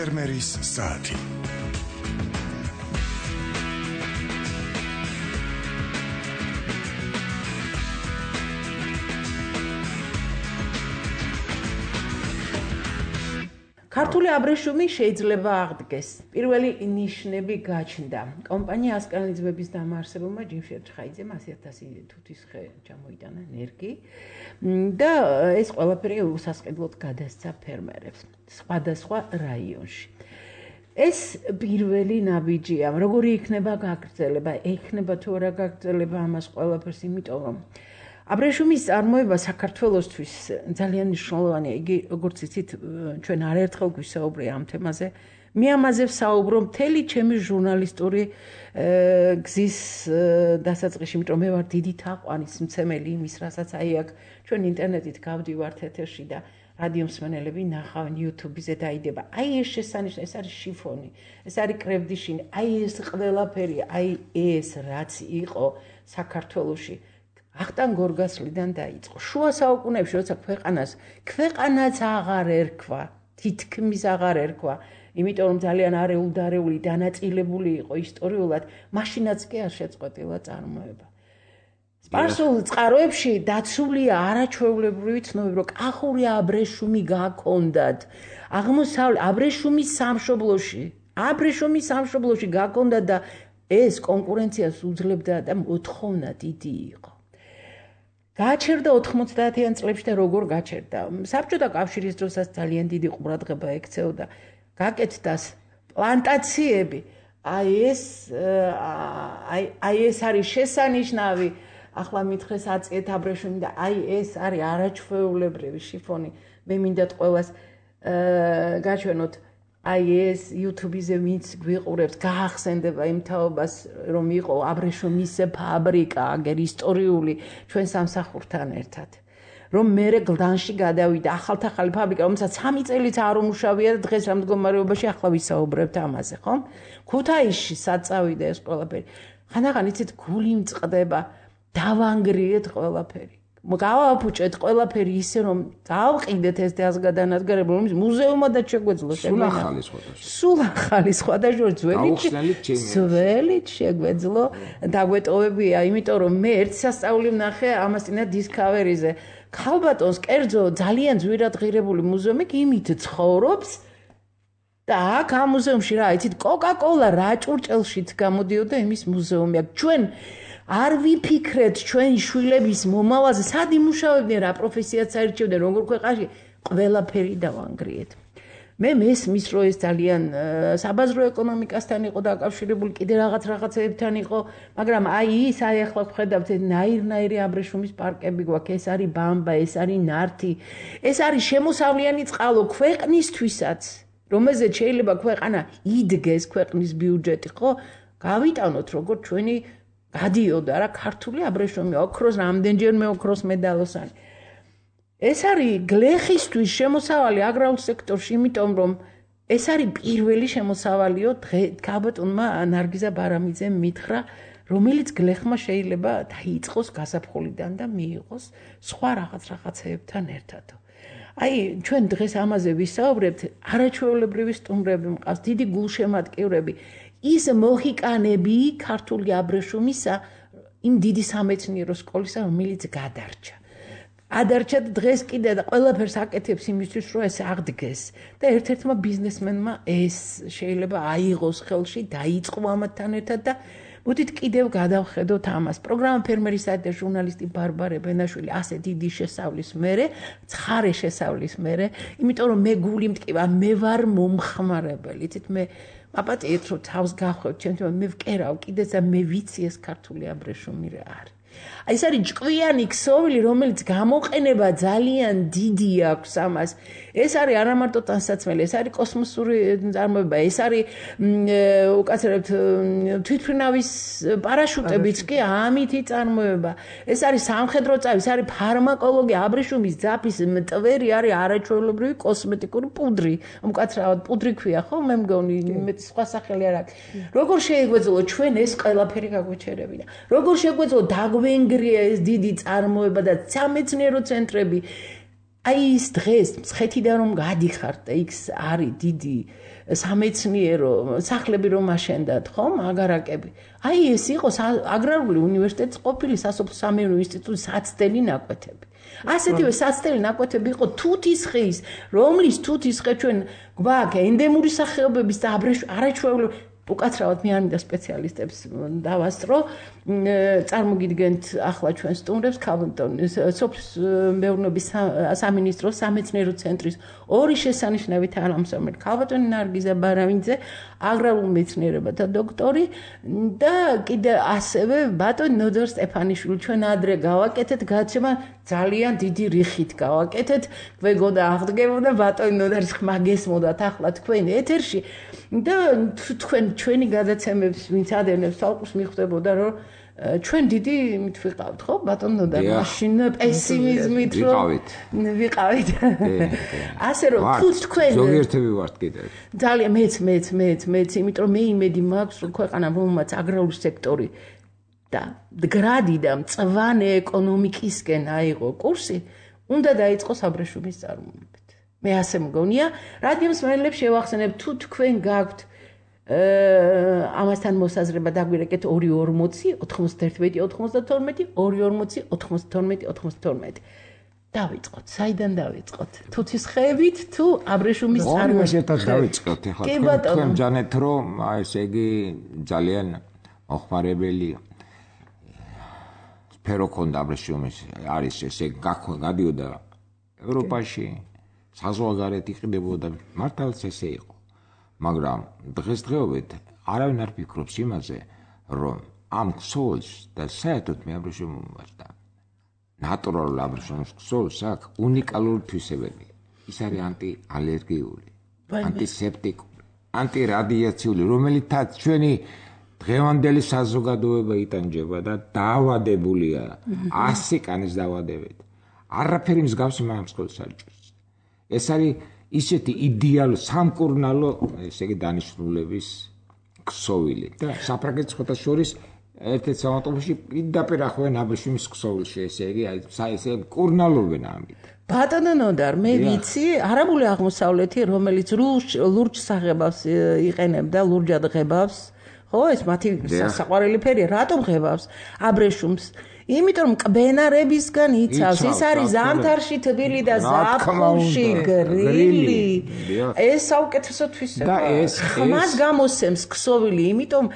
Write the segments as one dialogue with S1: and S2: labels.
S1: ფერმერის საათი.
S2: ქართული აბრეშუმი შეიძლება აღდგეს. პირველი ნიშნები გაჩნდა. კომპანია ასკანიძეების დამაარსებელმა ჯიმშედ ჩხაიძემ 100,000 თუთის ხე ჩამოიტანა ენერგი და ეს ყველაფერი უსასყიდლოდ გადასცა ფერმერებს სხვადასხვა რაიონში. ეს პირველი ნაბიჯია, როგორი იქნება გაგრძელება, ექნება თუ არა გაგრძელება ამას ყველაფერს, იმიტომ რომ აბრეშუმის წარმოება საქართველოსთვის ძალიან მნიშვნელოვანია. იგი, როგორც იცით, ჩვენ არაერთხელ გვისაუბრია ამ თემაზე. მე ამაზე ვსაუბრობ მთელი ჩემი ჟურნალისტური გზის დასაწყისში, იმიტომ რომ მე ვარ დიდი თაყვანის მცემელი იმის, რასაც აი აქ ჩვენ ინტერნეტით გავდივართ ეთერში და რადიო მსმენელები ნახავენ YouTube-ზე დაიდება. აი ეს შესანიშნავი, ეს არის შიფონი, ეს არის კრებდიშინი, აი ეს ყველაფერი, აი ეს რაც იყო საქართველოში ახტან გორგასლიდან დაიწყო. შუა საუკუნეებში, როცა ქვეყანაც აღარ ერქვა, თითქმის აღარ ერქვა, იმიტომ რომ ძალიან არეულ-დარეული დანაწილებული იყო ისტორიულად, მაშინაც კი არ შეწყვეტილა წარმოება. სპარსულ წყაროებში დაცულია არაჩვეულებრივი ცნობები, რომ კახური აბრეშუმი გაქონდათ. აბრეშუმის სამშობლოში გაქონდათ და ეს კონკურენციას უძლებდა და მოთხოვნა დიდი იყო. გაჩერდა 90-იან წლებში და როგორ გაჩერდა? საბჭოთა კავშირის დროსაც ძალიან დიდი ყურადღება ექცეოდა. გაკეთდა პლანტაციები. აი ეს არის შესანიშნავი. ახლა მითხრეს აწიეთ აბრეშუმი და აი ეს არის არაჩვეულებრივი შიფონი. მე მინდათ ყველას გაჩვენოთ. აი ეს YouTube-ზე ვინც გვიყურებს, გაახსენდება იმ თაობას, რომ იყო აბრეშუმის ფაბრიკა, აგერ ისტორიული ჩვენ სამსახურთან ერთად. რომ მერე გლდანში გადავიდა ახალ ფაბრიკა, რომელსაც 3 წელიც არ უმუშავია და დღეს რა მდგომარეობაში ახლა ვისაუბრებთ ამაზე, ხო? ქუთაისში საწავიდა ეს ყველაფერი. ხანდახან იცით გული მწყდება, დავანგრიეთ ყველაფერი. გავაფუჭეთ ყველაფერი ისე რომ დავყიდეთ ეს დაზგადანადგარები, რომ მუზეუმადაც შეგვეძლო სულ ახალი სხვადასხვა ძველით შეგვეძლო დაგვეტოვებია, იმიტომ რომ მე ერთ სასწაული ვნახე ამასინა Discovery-ზე. ქალბატონს კერძო ძალიან ძვირად ღირებული მუზეუმი იმით ცხოვრობს და აქ ამ მუზეუმში რა იცით კოკა-კოლა რა ჭურჭელშიც გამოდიოდა იმის მუზეუმი. ჩვენ არ ვიფიქრეთ ჩვენ შვილების მომავალზე, სად იმუშავებდნენ, რა პროფესიაც აირჩევდნენ, როგორ ქვეყანაში, ყველაფერი დავანგრიეთ. მე მესმის, რომ ეს ძალიან საბაზრო ეკონომიკასთან იყო დაკავშირებული, კიდე რაღაცებთან იყო, მაგრამ აი ახლა ვხედავთ, ნაირ-ნაირი აბრეშუმის პარკები გვაქვს, ეს არის ბამბა, ეს არის ნართი, ეს არის შემოსავლიანი წყალო ქვეყნისთვისაც, რომელზეც შეიძლება ქვეყანა იდგეს, ქვეყნის ბიუჯეტი, ხო? გავიტანოთ როგორ ჩვენი გადიოდა რა ქართული აბრეშუმი ოქროს რამდენჯერმე ოქროს მედალოსანი. ეს არის გლეხისთვის შემოსავალი აგრარულ სექტორში, იმიტომ რომ ეს არის პირველი შემოსავალიო ქალბატონმა ნარგიზა ბარამიძემ მითხრა, რომელიც გლეხმა შეიძლება დაიწყოს გაზაფხულიდან და მიიღოს სხვა რაღაცებთან ერთად. აი ჩვენ დღეს ამაზე ვისაუბრებთ, არაჩვეულებრივი სტუმრები მყავს, დიდი გულშემატკივრები. ის მოჰიკანები ქართული აბრეშუმისა იმ დიდი სამეცნიერო სკოლისა, რომელიც გადარჩა. ადარჩა და დღეს კიდე და ყველაფერს აკეთებს იმისთვის, რომ ეს აღდგეს. და ერთ-ერთმა ბიზნესმენმა ეს შეიძლება აიღოს ხელში, დაიწყო ამათთან ერთად და მოდით კიდევ გადავხედოთ ამას. პროგრამა ფერმერის საათი და ჟურნალისტი ბარბარე ბენაშვილი ასე დიდი შესავლის მერე, ცხარე შესავლის მერე, იმიტომ რომ მე გული მტკივა, მე ვარ მომხმარებელი. იცით მე აპატიეთ რომ თავს გავხვევ ჩემთან მე ვკერავ კიდეც და მე ვიცი ეს ქართული აბრეშუმი რა არის. აი ეს არის ჭკვიანი ქსოვილი, რომელიც გამოყენება ძალიან დიდი აქვს ამას. ეს არის არა მარტო ტანსაცმელი, ეს არის კოსმოსური წარმოება, ეს არის უკაცრებთ თვითმფრინავის პარაშუტებიც კი ამითი წარმოება. ეს არის სამხედრო წავი, ეს არის ფარმაკოლოგია, აბრეშუმის ძაფის მტვერი არის არაჩვეულებრივი კოსმეტიკური პუდრი. უკაცრავად პუდრი ქვია, ხო? მე მგონი მე სხვა სახელი არ აქვს. როგორ შეგვეძლო ჩვენ ეს ყველაფერი გაგვეჩერებინა? როგორ შეგვეძლო დაგვენგრია ეს დიდი წარმოება და სამეცნიერო ცენტრები? აი ის დღეს მცხეთიდან რომ გადიხართ და იქ არის დიდი სამეცნიერო სახლები რომ აშენდათ, ხო, აგარაკები. აი ეს იყო აგრარული უნივერსიტეტის ყოფილი სასოფლო-სამეურნეო ინსტიტუტის საცდელი ნაკვეთები. ასეთივე საცდელი ნაკვეთები იყო თუთისხის, რომლის თუთისხე ჩვენ გვაქვს ენდემური სახეობების და არაჩვეულებრივი უკაცრავად მე არ მინდა სპეციალისტებს დავასწრო, წარმოგიდგენთ ახლა ჩვენ სტუმრებს ქალბატონის სოფლის სამინისტროს სამეცნიერო ცენტრის ორი შესანიშნავი თანამშრომელი ქალბატონი ნარგიზა ბარავინძე, აგრარულ მეცნიერებათა დოქტორი და კიდე ასევე ბატონი ნოდარ სტეფანიშვილი. ჩვენ ადრე გავაკეთეთ გადაცემა ძალიან დიდი რიხით გავაკეთეთ, გვეგოდა აღდგებოდა ბატონი ნოდარის ხმა გესმოდათ ახლა თქვენ ეთერში და თქვენ ჩვენი გადაცემებს ვინც ადევნებს თვალყურს მიხვდებოდა რომ ჩვენ დიდი იმით ვიყავთ ხო ბატონო ნოდარ მაშინ პესიმიზმით რომ ვიყავით ასე რომ თქვენ
S1: ზოგიერთები ვართ კიდე
S2: ძალიან მეც იმიტომ რომ მე იმედი მაქვს რომ ქვეყანა რომელმაც აგრარული სექტორი და გრადი და მწვანე ეკონომიკისკენ აიღო კურსი უნდა დაიწყოს აბრეშუმის წარმოებით მე ასე მგონია რადიოს მენელებს შევახსენებ თუ თქვენ გაქვთ ამასთან მოსაზრება დაგვირეკეთ 240 91 92 240 92 92 დავიწყოთ საიდან დავიწყოთ თუთისხეებით თუ აბრეშუმის წარმოებით
S1: ერთად დავიწყოთ ახლა თქვენ ჯანეთ რომ ესე იგი ძალიან მოხმარებელი სფერო ქონდა აბრეშუმის არის ესე გადიოდა ევროპაში საზღვარგარეთ იყიდებოდა მართალაც ესე იყო მაგრამ დღესდღეობით არავინ არ ფიქრობს იმაზე, რომ ამ ქსოვილს და საერთოდ მე აბრეშუმს და ნატურალურ აბრეშუმს ქსოვილს აქვს უნიკალური თვისებები. ის არის ანტიალერგიული, ანტისეპტიკური, ანტირადიაციული, რომელითაც ჩვენი დღევანდელი საზოგადოება იტანჯება და დაავადებულია 100 კანის დაავადებით. არაფერი მსგავსი მაგ ქსოვილს არ ჭირს. ეს არის ისეთი იდეალური სამკურნალო ესე იგი დანიშნულების ქსოვილი და საფრანგეთის ხოთაშორის ერთ-ერთ საავტომობილში პირდაპირ ახვენ აბრეშუმის ქსოვილში ესე იგი ესე კურნალობენ ამით
S2: ბატონო ნოდარ მე ვიცი არაბული აღმოსავლეთი რომელიც ლურჯ საღებავს იყენებდა ლურჯად ღებავს ხო ეს მათი საყვარელი ფერია რატომ ღებავს აბრეშუმს იმიტომ კბენარებისგან იცავს ის არის ზამთარში თბილი და ზაფხულში გრილი ეს საუკეთესო თვისება ხმას გამოსცემს ქსოვილი იმიტომ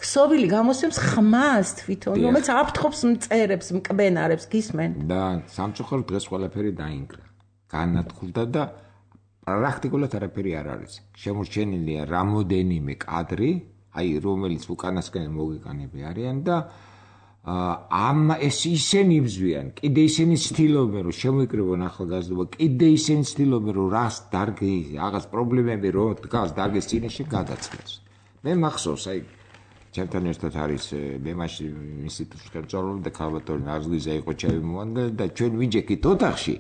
S2: ქსოვილი გამოსცემს ხმას თვითონ რომელიც აფრთხობს მწერებს მკბენარებს გისმენ
S1: და სამწუხაროდ დღეს ყველაფერი დაინგრა განადგურდა და პრაქტიკულად არაფერი არ არის შემორჩენილია რამოდენიმე კადრი აი რომელიც უკანასკენ მოგეკანები არიან და ამ ეს ისინი იბზვიან, კიდე ისინი ცდილობენ რომ შემოიკრიბონ ახალგაზრდობა, კიდე ისინი ცდილობენ რომ რას დარგი, რაღაც პრობლემები რო დგას დარგის წინაშე გადაწყდეს. მე მახსოვს, აი ჩემთან ერთად არის მე მაშინ ინსტიტუტში ხელმძღვანელი და ქალბატონი ნარგიზა იყო ჩემი მოადგილე და ჩვენ ვიჯექით ოთახში.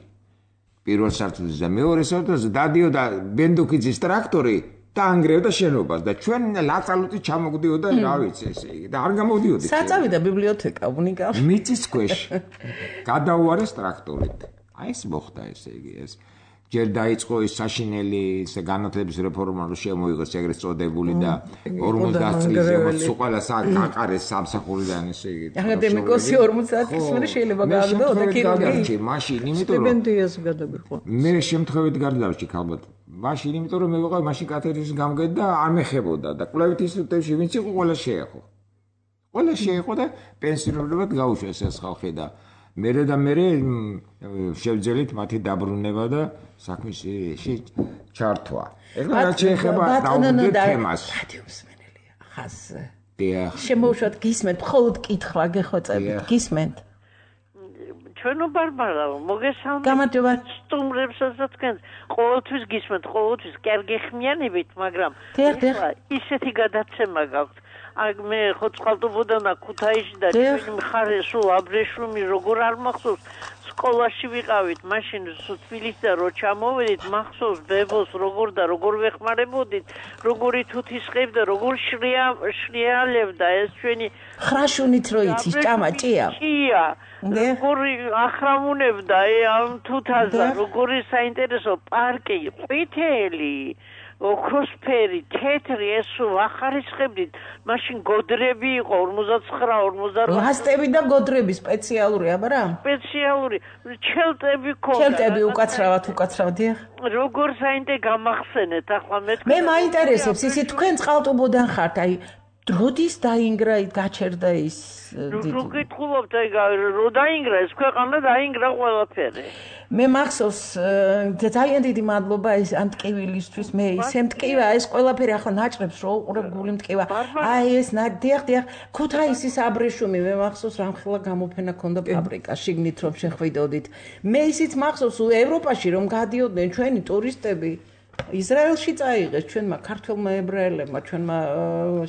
S1: პირველ სართულზე და მეორე სართულზე დადიოდა ბენდუქიძის ტრაქტორი და ანგრევდა შენობას და ჩვენ ლაწალუთი ჩამოგდიოდა რა ვიცი ესე იგი და არ გამოდიოდი
S2: საწავი და ბიბლიოთეკა უნიკალური
S1: მიწის ქვეშ გადაუარეს ტრაქტორით აი ეს მოხდა ესე იგი ეს ჯერ დაიწყო ის საშინელი განათლების რეფორმა რომ შემოიღოს ეგრეთ წოდებული და 50 წლის ზემოთ ყველა გაყარეს სამსახურიდან ესე იგი
S2: აკადემიკოსი 50 წლის მერე შეიძლება გავდო და
S1: კიდე მაშინ იმიტომ რომ
S2: სტიპენდიას გადაგიხვა
S1: მე შემთხვევით გარდავში ქალბატ მაშინ იმიტომ რომ მე ვიყავ მაშინ კათედრის გამგედ და არ მეხებოდა და კვლევით ინსტიტუტებში ვინც იყო ყველა შეეხო და პენსიონერებად გაუშვეს ეს ხალხი და მერე შევძელით მათი დაბრუნება და საქმეში ჩართვა. ეხლა რაც შეეხება დაუბრუნდეთ თემას.
S2: რადიოს მენელია ხას. შემოუშვათ გისმენთ, მხოლოდ კითხვა გეხვეწებით, გისმენთ.
S3: ჩვენო ბარბარაო, მოგესალმებით.
S2: გამარჯობა.
S3: სტუმრებსაც თქვენ ყოველთვის გისმენთ, ყოველთვის კარგი ხმიანებით, მაგრამ ისეთი გადაცემა გაქვთ. აი მე ხო წყალტუბოდანა ქუთაისში და ჩვენი მხარე სულ აბრეშუმი როგორ არ მახსოვს სკოლაში ვიყავით, მაშინ თბილისიდან რო ჩამოვედით, მახსოვს ბებოს როგორ ვეხმარებოდით, როგორი თუთისყევდა და როგორ შრიალებდა ეს ჩვენი
S2: ხრაშუნით რო იცის ჭამაჭია.
S3: ჭია. როგორი ახრამუნებდა ამ თუთაზე, როგორი საინტერესო პარკი, ყვითელი ოქროსფერი, თეთრი, ეს ვახარისხებდით. მაშინ გოდრები იყო 49-48.
S2: ლასტები და გოდრები სპეციალური, აბარა?
S3: სპეციალური, ჩელტები ქონდა.
S2: ჩელტები უკაცრავად.
S3: როგორ საინტერესო გამახსენეთ ახლა
S2: მე მაინტერესებს ისი თქვენ წყალტუბოდან ხართ, აი როდის დაინგრა გაჩერდა ის
S3: რო გითხულობთ აი რო დაინგრა ეს ქვეყანა დაინგრა ყველაფერი.
S2: მე მახსოვს ძალიან დიდი მადლობა ეს ამ ტკივილისთვის მე ისე მტკივა ეს ყველაფერი ახლა ნაჭრებს რო უყურებ გული მტკივა აი ეს დიახ ქუთაისის აბრეშუმი მე მახსოვს რამხელა გამოფენა ქონდა ფაბრიკა შიგნით რომ შეხვიდოდით მე ისიც მახსოვს ევროპაში რომ გადიოდნენ ჩვენი ტურისტები ისრაელში წაიღეს ჩვენმა ქართველმა ებრაელებმა ჩვენმა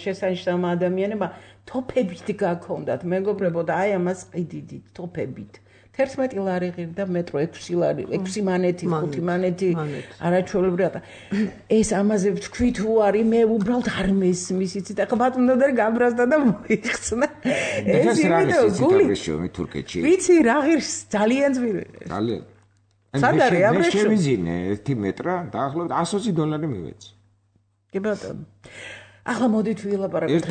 S2: შესანიშნავმა ადამიანებმა თოფებით გაქონდათ მეგობრებო და აი ამას ყიდიდით თოფებით 11 ლარი ღირდა მეტრო 6 ლარი 6 მანეთი 5 მანეთი არაჩვეულებრივად ეს ამაზე ვთქვით უარი მე უბრალოდ არ მესმის იცით ახლა ბატონო და გაბრაზდა და მოიხსნა
S1: ეს ვიდეო გული თურქეთში
S2: ვიცი რა ღირს ძალიან ძვირი
S1: ძალიან
S2: სადარი
S1: მე შევიზინე 1 მეტრა დაახლოებით $120 მივეცი
S2: კი ბატონო ახლა მოდით ვილაპარაკოთ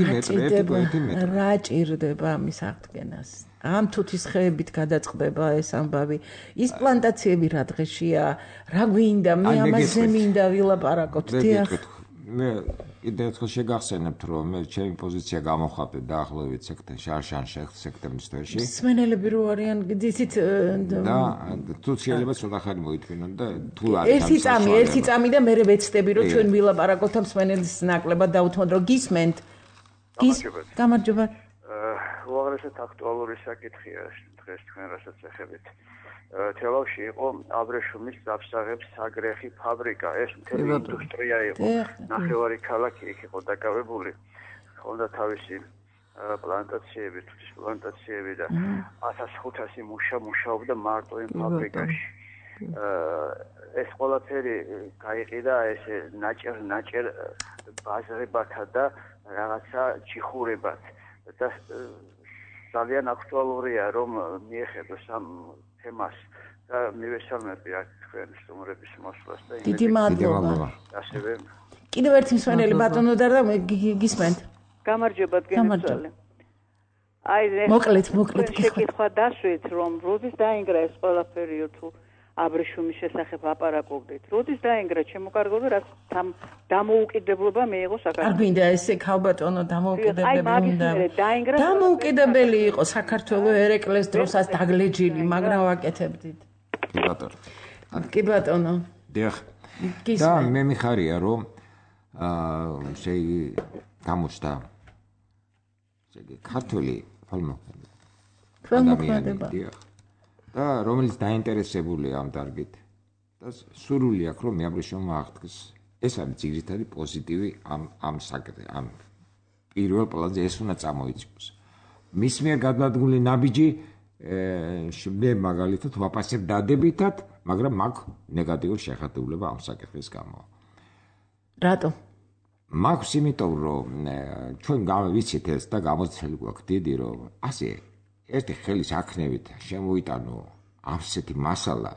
S2: რა ჭირდება ამის აღდგენას ამ თუთის ხეებით გადაწყდება ეს ამბავი ის პლანტაციები რა დღეშია რა გვინდა მე ამაზე მინდა ვილაპარაკოთ დიახ
S1: მე კიდევ ერთხელ შეგახსენებთ რომ მე ჩემი პოზიცია გამოხატე დაახლოებით სექტემბრის თვეში
S2: მსმენელები რო არიან ისიც
S1: და თუ შეიძლება ცოტა ხანი მოითმინონ და თუ
S2: არის ერთი წამი და მე ვეცდები რომ ჩვენ ვილაპარაკოთ ამ მსმენელის ნაკლებად დავუთმოთ რომ გისმენთ გამარჯობა
S4: უაღრესად აქტუალური საკითხია დღეს თქვენ რასაც ეხებით. თელავში იყო აბრეშუმის ძაფსაღებს საგრეხი ფაბრიკა. ეს მთელი ინდუსტრია იყო. ნახევარი ქალაქი იქ იყო დაკავებული. ჰქონდა თავისი პლანტაციები, თუთის პლანტაციები და 1500 მუშაობდა მარტო იმ ფაბრიკაში. ეს ყველაფერი გაიყიდა ესე ნაჭერ ბაზრებათა და რაღაცა ჩიხურებათ. და ძალიან აქტუალურია რომ მიეხედოს ამ თემას და მივესალმები აქ თქვენ სტუმრების მოსვლას და
S2: დიდი მადლობა.
S4: ასევე
S2: კიდევ ერთი მსმენელი ბატონო და გისმენთ.
S5: გამარჯობა გენერალ. აი
S2: მოკლედ
S5: შეკითხვა დასვით რომ როდის დაინგრა ეს ყველაფერი თუ აბრეშუმის შესახებ აპარაკობდით. როდის დაინგრა ჩემოკარგულო რაც დამოუკიდებლობა მიიღო საქართველოს.
S2: არ გვინდა ესე ქალბატონო დამოუკიდებელი იყო საქართველოს ერეკლეს დროსაც დაგლეჯილი, მაგრამ ვაკეთებდით. კი ბატონო.
S1: დიახ. და მე მიხარია რომ გამოჩნდა ქართული
S2: ქველმოქმედება.
S1: დიახ. და რომელიც დაინტერესებულია ამ დარგით და სურვილი აქვს რომ მეაბრეშუმმა აღდგეს ეს არის ძირითადი პოზიტივი ამ საკითხზე ამ პირველ პლანზე ეს უნდა წამოიწყოს მის მიერ გადადგმული ნაბიჯი მე მაგალითად ვაპასებ დადებითად მაგრამ მაქვს ნეგატიური შეხედულება ამ საკითხის გამო
S2: რატო
S1: მაქვს იმიტომ რომ ჩვენ გავიცით ეს და გამოცდილი გვაქვს დიდი რომ ასე ერთი ხელის აქნევით შემოიტანო ასეთი მასალა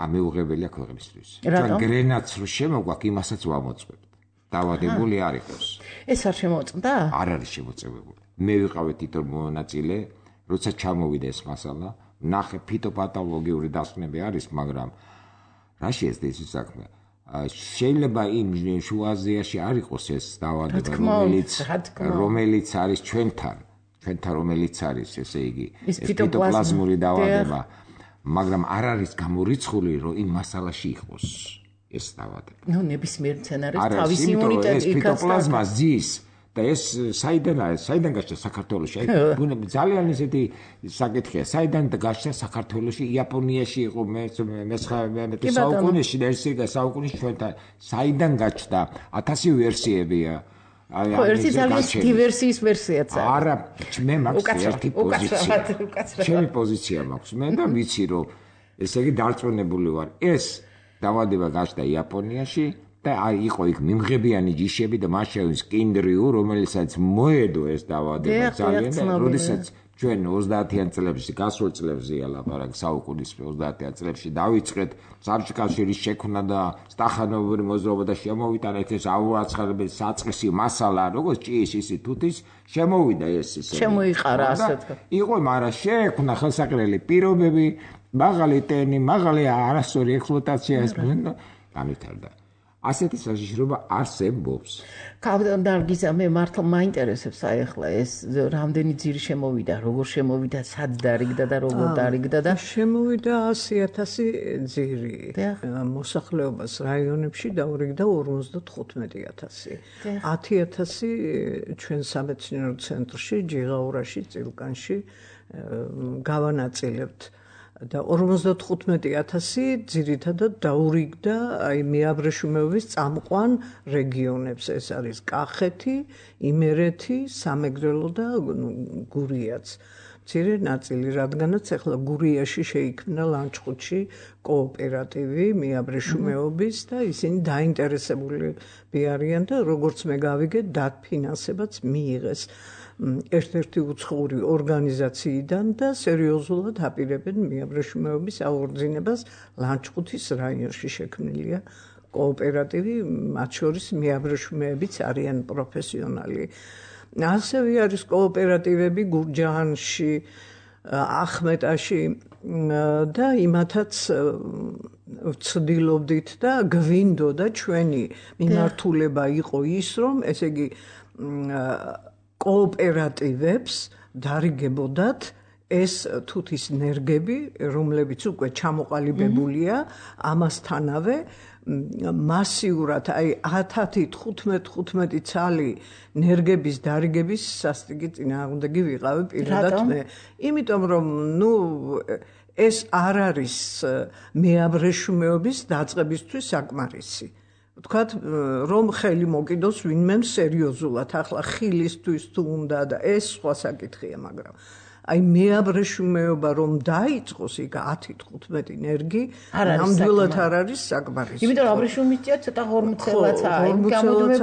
S1: ამეუღებელია ქვეყნისთვის. ჩვენ გრენაც რო შემოგვაქვს, იმასაც ვამოწმებთ. დავადებული არ იყოს.
S2: ეს არ შემოწმდა?
S1: არ არის შემოწმებული. მე ვიყავი თვითონ მონაწილე, როცა ჩამოვიდა ეს მასალა, ნახე ფიტოპათოლოგიური დასკვნები არის, მაგრამ რა შეეცდა ის საქმე? შეიძლება იმ შუაზიაში არ იყოს ეს დავადება, რომელიც არის ჩვენთან რომელიც არის ესე იგი ფიტოპლაზმური დავადება მაგრამ არ არის გამორიცხული რომ იმ მასალაში იყოს ეს დავადება
S2: ნუ ნებისმიერ მცენარეს თავისი იმუნიტეტი
S1: იქნება ფიტოპლაზმა ზის და ეს საიდან გაჩნდა საქართველოში აი ძალიან ისეთი საკითხია საიდან გაჩნდა საქართველოში იაპონიაში იყო მე საუკუნეში და ეს საუკუნეში ჩვენთან საიდან გაჩნდა 1000 ვერსიებია
S2: ხო, ერთი ძალიან დივერსიის ვერსიაც არის.
S1: არა, მე მაქვს ერთი პოზიცია. ჩემი პოზიცია მაქვს. მე და ვიცი რომ ესე იგი დარწმუნებული ვარ. ეს დაავადება გაჩნდა იაპონიაში და იყო იქ მიმღებიანი ჯიშები და მას შევლის კინდრიუ, რომელსაც მოედო ეს დაავადება ძალიან და როდესაც ჩვენ 30-იან წლებში, გასულ წლებზეა ლაპარაკი, საუკუნის 30-იან წლებში დავიწყეთ საბჭოთა კავშირის შექმნა და სტახანოვური მოძრაობა და შემოვიტანეთ ეს აუაცხარებელი საწყისი მასალა, როგორც ჭიის ისე თუთის, შემოვიდა ეს ისე.
S2: შემოიყარა ასე თქვა.
S1: იყო, მაგრამ შეექმნა ხელსაყრელი პირობები, მაღალი ტენი, მაღალი არასწორი ექსპლუატაცია ეს განვითარდა. ასეთი საშიშრობა არსებობს.
S2: კაპიტან მე მართლა მაინტერესებს აი ახლა ეს რამდენი ძირი შემოვიდა, როგორ შემოვიდა, სად დარიგდა და როგორ დარიგდა და
S6: შემოვიდა 100,000 ძირი. მოსახლეობას რაიონებში დაურიგდა 55,000. 10,000 ჩვენ სამეცნიერო ცენტრში, ჯიღაურაში, წილკანში გავანაწილებთ. და 55,000 ძირითადად დაურიგდა აი მეაბრეშუმეობის წამყვან რეგიონებს. ეს არის კახეთი, იმერეთი, სამეგრელო და გურიაც. მცირე ნაწილი, რადგანაც ახლა გურიაში შეიქმნა ლანჩხუთში კოოპერატივი მეაბრეშუმეობის და ისინი დაინტერესებულები არიან და როგორც მე გავიგე, დაფინანსებაც მიიღეს ერთ-ერთი უცხოური ორგანიზაციიდან და სერიოზულად აპირებენ მეაბრეშუმეობის აღორძინებას ლანჩხუთის რაიონში შექმნილია კოოპერატივი, მათ შორის მეაბრეშუმეებიც არიან პროფესიონალი. ასევე არის კოოპერატივები გურჯაანში, ახმეტაში და იმათაც ვცდილობდით და გვინდოდა ჩვენი მიმართულება იყო ის, რომ ესე იგი კოოპერატივებს დარიგებოდათ ეს თუთის ნერგები, რომლებიც უკვე ჩამოყალიბებულია, ამასთანავე მასიურად, აი 10-15 ცალი ნერგების დარიგების სასტიკი წინააღმდეგი ვიყავი პირადად მე. იმიტომ რომ ეს არ არის მეაბრეშუმეობის დაწყებისთვის საკმარისი. ვთქვათ, რომ ხელი მოკიდოს ვინმე სერიოზულად, ახლა ხილისთვის თუ უნდა და ეს სხვა საკითხია, მაგრამ აი მეაბრეშუმეობა რომ დაიწყოს იქ 10-15 ნერგი, ნამდვილად არ არის საკმარისი.
S2: იმიტომ რომ აბრეშუმისია ცოტა ღორმუცელაც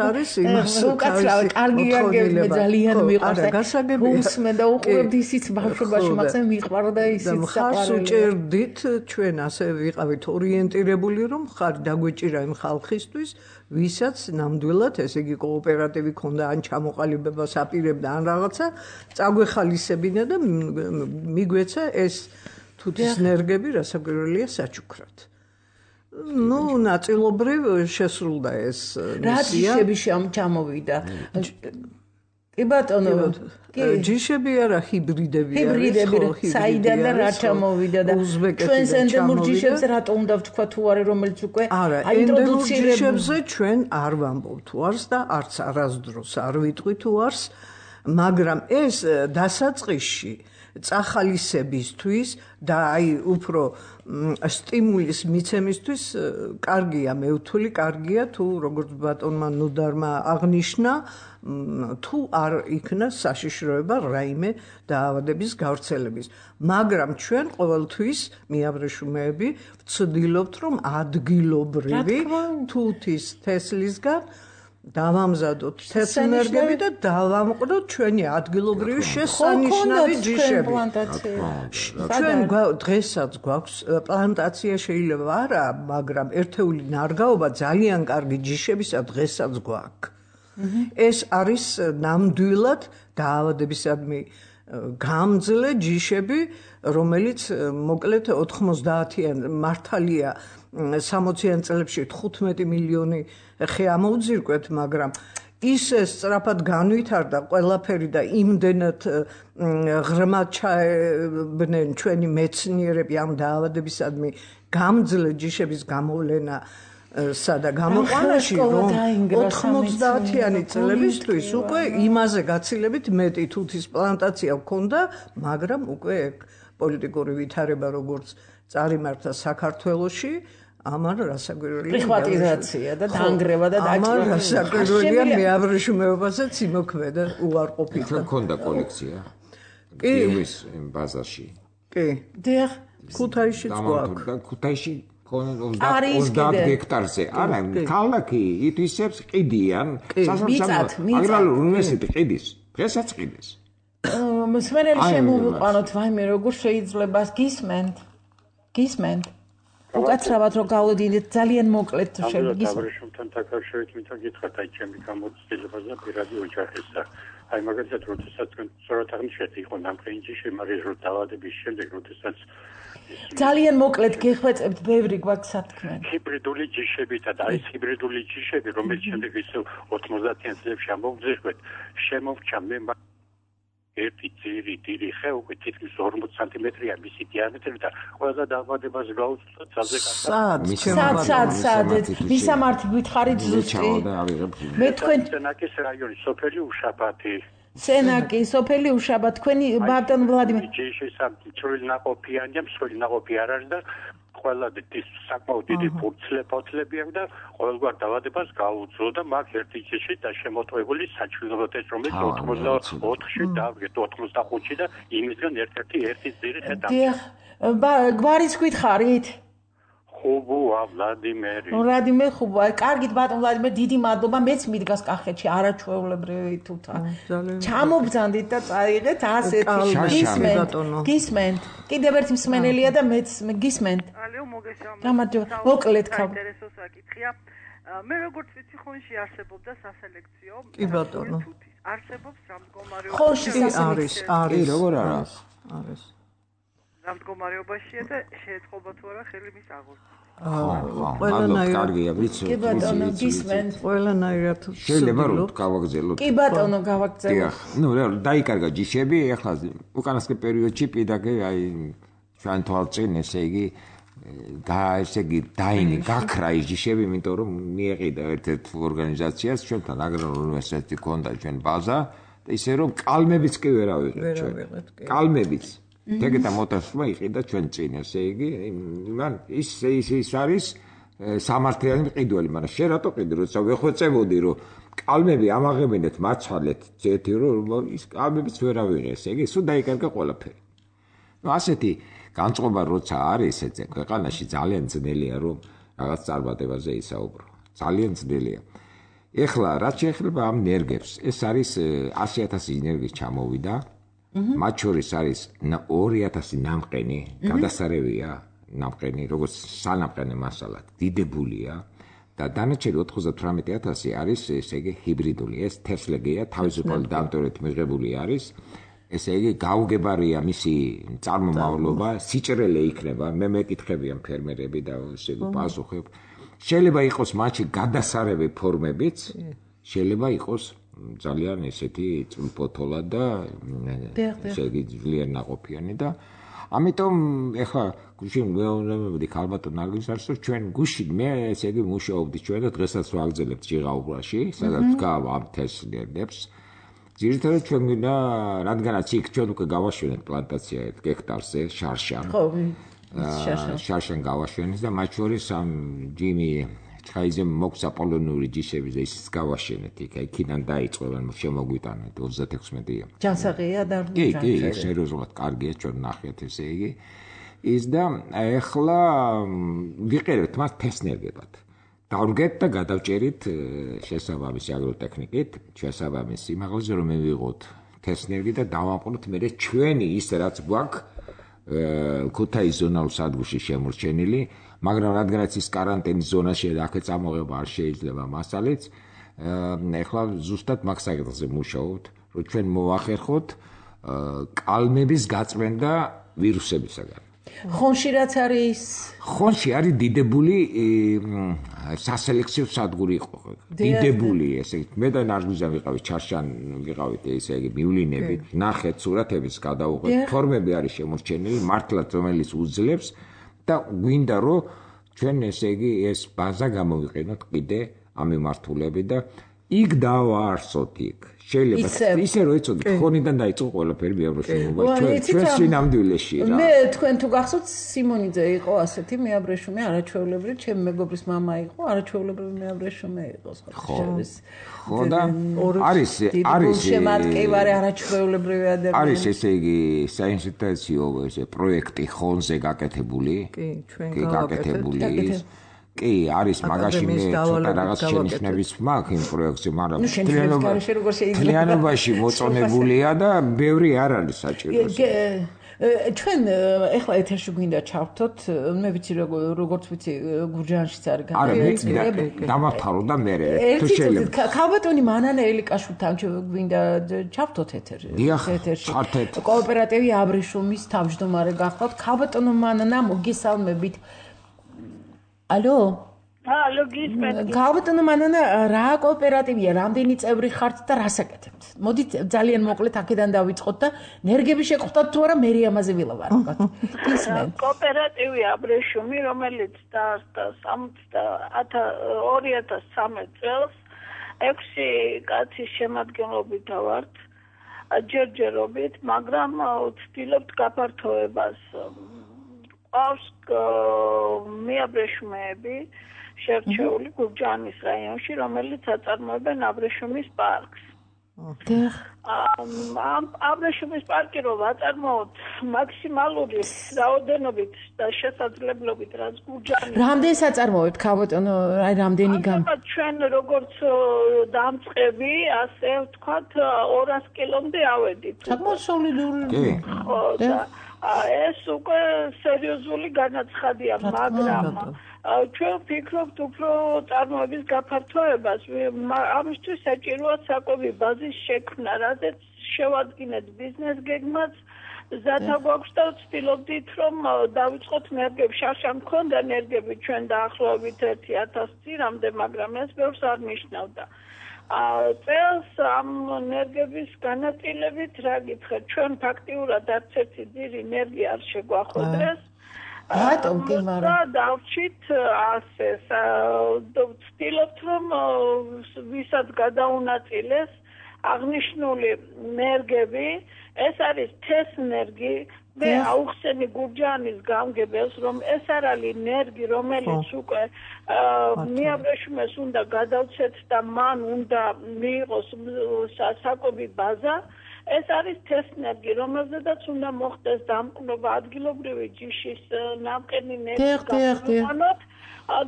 S6: არის, იმას
S2: უკაცრავად კარგი გაგებია ძალიან მიყვარს. გასაგებია და უყურებთ ისიც ბავშვობაში მაგას მიყვარდა ისიც
S6: მხარს უჭერდით ჩვენ ასე ვიყავით ორიენტირებული რომ ხარ დაგვეჭირა იმ ხალხისთვის ვისაც ნამდვილად ესე იგი კოოპერატივი ქონდა ან ჩამოყალიბებას აპირებდა ან რაღაცა წაგვეხალისებინა და მიგვეცა ეს თუთის ნერგები რასაკვირველია საჩუქრად. ნაწილობრივ შესრულდა ეს
S2: მისია. რა ჯიშები ჩამოვიდა? კი ბატონო,
S6: ჯიშები არა, ჰიბრიდები არის.
S2: ჰიბრიდები საიდან და რა ჩამოვიდა და ჩვენს ენდემურ ჯიშებს რატო უნდა ვთქვა თუ არა, რომელიც უკვე
S6: აინტროდუცირებული. ჯიშებზე ჩვენ არ ვამბობ თუ არს და არც არასდროს არ ვიტყვი თუ არს, მაგრამ ეს დასაწყისში წახალისებისთვის და აი უფრო სტიმულის მიცემისთვის კარგია, მე ვთვლი კარგია თუ როგორც ბატონმა ნუდარმა აღნიშნა, თუ არ იქნა საშიშროება რაიმე დაავადების გავრცელების. მაგრამ ჩვენ ყოველთვის მეაბრეშუმეები ვცდილობთ, რომ ადგილობრივი თუთის თესლისგან დავამზადოთ თესლნერგები და დავამყროთ ჩვენი ადგილობრივი შესანიშნავი ჯიშები. ჩვენ დღესაც გვაქვს პლანტაცია, შეიძლება არა, მაგრამ ერთეული ნარგაობა ძალიან კარგი ჯიშებისა დღესაც გვაქვს. ეს არის ნამდვილად დაავადებისადმი გამძლე ჯიშები, რომელიც მოკლედ 90-იან მართალია 60-იან წლებში 15 მილიონი ხე ამოვძირკვეთ, მაგრამ ისე სწრაფად განვითარდა ყველაფერი და იმდენად ღრმად ჩაებდნენ ჩვენი მეცნიერები ამ დაავადებისადმი გამძლე ჯიშების გამოვლენა სადა გამოყვანაში, რომ 90-იანი წლებისთვის უკვე იმაზე გაცილებით მეტი თუთის პლანტაცია ჰქონდა, მაგრამ უკვე პოლიტიკური ვითარება როგორც წარიმართა საქართველოში, ამან რასაკვირველია
S2: პრიხვატიზაცია და დაანგრევა და
S6: ამან რასაკვირველია მე აბრეშუმეობასაც იმოქმედა უარყოფით.
S1: თქვენ ქონდა კოლექცია? გიევის ბაზარში.
S6: კი.
S2: დიახ,
S6: ქუთაისშიც გვაქვს.
S1: და ქუთაისში 30 ჰექტარზე. არა, ქალაქი ითვისებს ყიდიან, აგრარულ უნივერსიტეტი ყიდის. დღესაც ყიდის.
S2: მსმენელი შემოვიყვანოთ, ვაიმე, როგორ შეიძლება გისმენთ. უკაცრავად რომ გავოდით, ძალიან მოკლედ
S7: შეგისმენთ. აბრეშუმთან დაკავშირებით მინდა გითხრათ, აი ჩემი გამოცდილებაზე და პირადი ოჯახის და აი მაგალითად, როდესაც სწორად აღნიშნეთ, იყო ნამყენი ჯიში, მაგრამ რო დაავადების შემდეგ, როდესაც
S2: ძალიან მოკლედ გეხვეწებთ, ბევრი გვაქვს სათქმელი.
S7: ჰიბრიდული ჯიშებითა და აი ჰიბრიდული ჯიშები, რომელიც შემდეგ ისე 90-იან წლებში ამოვძიხვეთ, შემოვჭა მე ერთი ძირი დიდი ხე უკვე თითქმის 40 სანტიმეტრია მისი დიამეტრი და ყველა დაავადებას გაუწევთ ძალზე
S2: სად მისამართი გითხარით ზუსტი მე თქვენ
S7: სენაკის რაიონი სოფელი უშაბათი
S2: სენაკი სოფელი უშაბათ თქვენი ბატონ ვლადიმერ
S7: ჯიში სამწვრილი ნაყოფიანია მსხვილი ნაყოფი არ არის და ყველა საკმაოდ დიდი ფურცლები აქვს და ყოველგვარ დაავადებას გაუძლო და მაგ ერთი ჯიში და შემოტყვებული საჩვენო ტესტ რომელიც 84-ში დავგეთ 85-ში და იმისგან ერთ-ერთი ძირი ხედავ.
S2: დიახ, გვარის გითხარით?
S7: ხუბოა ვლადიმერი.
S2: ვლადიმერ ხუბოა. კარგით ბატონ ვლადიმერ, დიდი მადლობა. მეც მიდგას კახეთში არაჩვეულებრივი თუთა. ჩამობძანდით და წაიღეთ ასეთი გისმენთ. კიდევ ერთი მსმენელია და მეც გისმენთ.
S5: ალო მოგესალმებით.
S2: გამარჯობა. მოკლედ ხავ.
S5: ინტერესო საკითხია. მე როგორც ვიცი, ხონში არსებობდა სასელექციო.
S6: კი ბატონო.
S5: არსებობს რა მდგომარეობაში?
S2: ხონში სასელექციო.
S6: არის.
S1: როგორ არა?
S6: არის.
S5: რა მდგომარეობაშია და შეეწყობა თუ არა ხელი მის აღორძინებას?
S1: კარგია, ვიცი.
S2: კი ბატონო, გისმენთ.
S6: ყველანაირად
S1: შეიძლება რომ გავაგზავნოთ.
S2: კი ბატონო, გავაგზავნოთ.
S1: დიახ, დაიკარგა ჯიშები, ეხლა უკანასკნელ პერიოდში პირდაპირ აი ჩვენ თვალწინ ესე იგი გაქრა ის ჯიშები, იმიტომ რომ მიეყიდა ერთ-ერთ ორგანიზაციას, ჩვენთან აგრარულ უნივერსიტეტი ქონდა ჩვენ ბაზა და ისე რომ კალმებიც კი ვერ ავიღეთ ჩვენ. კალმებიც ეგეთა მოტასმა იყიდა ჩვენ წინ, ესე იგი, მან ის არის სამართლიანი მყიდველი, მაგრამ შენ რატო ყიდი, როცა ვეხვეწებოდი, რომ კალმები ამაღებინეთ, მაცვალეთ, ძეთი რომ ის კალმებიც ვერ ავიღე, ესე იგი, სულ დაიკარგა ყველაფერი. ნუ ასეთი განწყობა როცა არის ესე ქვეყანაში ძალიან ძნელია რომ რაღაც წარმატებაზე ისაუბრო. ძალიან ძნელია. ეხლა რაც შეეხება ამ ნერგებს, ეს არის 100,000 ენერგიის ჩამოვიდა. მათ შორის არის 2,000 ნამყენი, გადასარევია ნამყენი, როგორც სანამყენი მასალად, დიდებულია და დანარჩენი 98,000 არის ესე იგი ჰიბრიდული, ეს თესლეგია, თავისუფალი დამტვრით მიღებული არის. ესე იგი გაუგებარია მისი წარმომავლობა, სიჭრელე იქნება, მე მეკითხებიან ფერმერები და ესე იგი პასუხებ. შეიძლება იყოს მათში გადასარევი ფორმებიც, შეიძლება იყოს ძალიან ესეთი წვრთოლა და ესე იგი ძლიერ ნაყოფიანი და ამიტომ ეხლა გუშინ მეუბნებოდი ქალბატონ ნარგიზას რომ ჩვენ გუშინ მე ესე იგი მუშაობდი ჩვენ და დღესაც ვაგრძელებთ ჟიღაუბრაში, სადაც გავ ამ თესლებს ძირითადად ჩვენ გვინდა რადგანაც იქ ჩვენ უკვე გავაშვენეთ პლანტაცია 1 ჰექტარზე შარშან.
S2: ხო,
S1: შარშან გავაშვენეთ და მათ შორის ამ ჯიმი ჩხაიზე მოგცა პოლონური ჯიშები და ისიც გავაშვენეთ იქ. იქიდან დაიწყო შემოგვიტანეთ 36-ია.
S2: ჯანსაღია და
S1: კი, სერიოზულად კარგია ჩვენ ნახეთ ესე იგი. ის და ეხლა ვიყერებთ მას თესნერგებად. დავდგეთ და გადავჭერით შესაბამისი აგროტექნიკით, შესაბამის სიმაღლეზე რომ მივიღოთ თესნერგი და დავამყვროთ მე ჩვენი ის რაც გვაქვს ქუთაის ზონალურ სადგურში შემორჩენილი, მაგრამ რადგანაც ის კარანტინის ზონაშია და აქ წამოღება არ შეიძლება მასალით, ეხლა ზუსტად მაგ საკითხზე მუშაობთ, რომ ჩვენ მოვახერხოთ კალმების გაწმენდა ვირუსებისაგან.
S2: ხონში რაც არის?
S1: ხონში არის დიდებული სასელექციო სადგური იყო. დიდებული ესე მე და ნარგიზა ვიყავით ჩარშან ვიყავით ესე იგი მივლინებით, ნახეთ სურათების გადავუღეთ, ფორმები არის შემორჩენილი, მართლაც რომელიც უძლებს და გვინდა რომ ჩვენ ესე იგი ეს ბაზა გამოვიყენოთ კიდე ამ მიმართულებით და იქ დავაარსოთ იქ შეიძლება ისე რომ იცოდე თხოვნიდან დაიწყო ყველაფერი მეაბრეშუმობა ჩვენ სინამდვილეში რა
S2: მე თქვენ თუ გახსოვთ სიმონიძე იყო ასეთი მეაბრეშუმე არაჩვეულებრივი ჩემი მეგობრის მამა იყო არაჩვეულებრივი მეაბრეშუმე იყო
S1: ხო და არის
S2: შემატკივარი არაჩვეულებრივი ადამიანი
S1: არის ესე იგი საინსტიტუციო ესე პროექტი ხონზე გაკეთებული კი გაკეთებული კი არის მაგაში მე ცოტა რაღაც შენიშვნების მაქვს იმ პროექტზე მაგრამ მთლიანობაში მოწონებულია და ბევრი არ არის საჭირო
S2: ჩვენ ეხლა ეთერში გვინდა ჩავთოთ მე ვიცი როგორც ვიცი გურჯაანშიც არის
S1: გაკეთებული დამავთარო და მე თუ შეიძლება
S2: ქალბატონი მანანა ელიკაშვილთან გვინდა ჩავთოთ ეთერში კოოპერატივი აბრეშუმის თავმჯდომარე გახდათ ქალბატონო მანანა მოგესალმებით Алло.
S3: Алло, გისმენთ.
S2: ქალბატონო მანანა რა კოოპერატივია, რამდენი წევრი ხართ და რას აკეთებთ? მოდით ძალიან მოკლედ აქედან დავიწყოთ და ნერგები შეგხვდათ თუ არა მე ამაზე ვილაპარაკოთ. გისმენთ.
S3: კოოპერატივი აბრეშუმი, რომელიც დაარსდა 2013 წელს 6 კაცის შემადგენლობით ვართ. ჯერჯერობით, მაგრამ ვცდილობთ გაფართოებას. ყავს მეაბრეშუმეები შერჩეული გურჯაანის რაიონში, რომელიც აწარმოებენ აბრეშუმის პარკს. აბრეშუმის პარკი რომ აწარმოოთ მაქსიმალური რაოდენობით და შესაძლებლობით რაც გურჯაანის
S2: რამდენს აწარმოებთ ქალბატონო რამდენი
S3: ჩვენ როგორც დამწყები ასე ვთქვათ 200 კილომდე ავედით
S2: საკმაოდ სოლიდური
S3: ეს უკვე სერიოზული განაცხადია, მაგრამ ჩვენ ვფიქრობთ უფრო წარმოების გაფართოებას. ამისთვის საჭიროა საკვები ბაზის შექმნა, რადგან შევადგინეთ ბიზნეს გეგმაც, ზათა გვაქვს და ვცდილობდით, რომ დავიწყოთ ნერგები. შარშან მქონდა ნერგები ჩვენ დაახლოებით 1000 წირამდე, მაგრამ ეს ბევრს არ ნიშნავდა. წელს ამ ნერგების განაწილებით რა გითხრათ ჩვენ ფაქტიურად არც ერთი ძირი ნერგი არ შეგვახვედრეს
S2: რატომ კი მაგრამ
S3: დავჭით ასე ვცდილობთ რომ ვისაც გადაუნაწილეს აღნიშნული ნერგები ეს არის თესნერგი მე აუხსენი გურჯაანის გამგებელს რომ ეს არ არის ნერგი რომელიც უკვე მეაბრეშუმეს უნდა გადავცეთ და მან უნდა მიიღოს საკვები ბაზა ეს არის თესნერგი რომელზედაც უნდა მოხდეს დამკვლობა ადგილობრივი ჯიშის ნამყენი ნერგი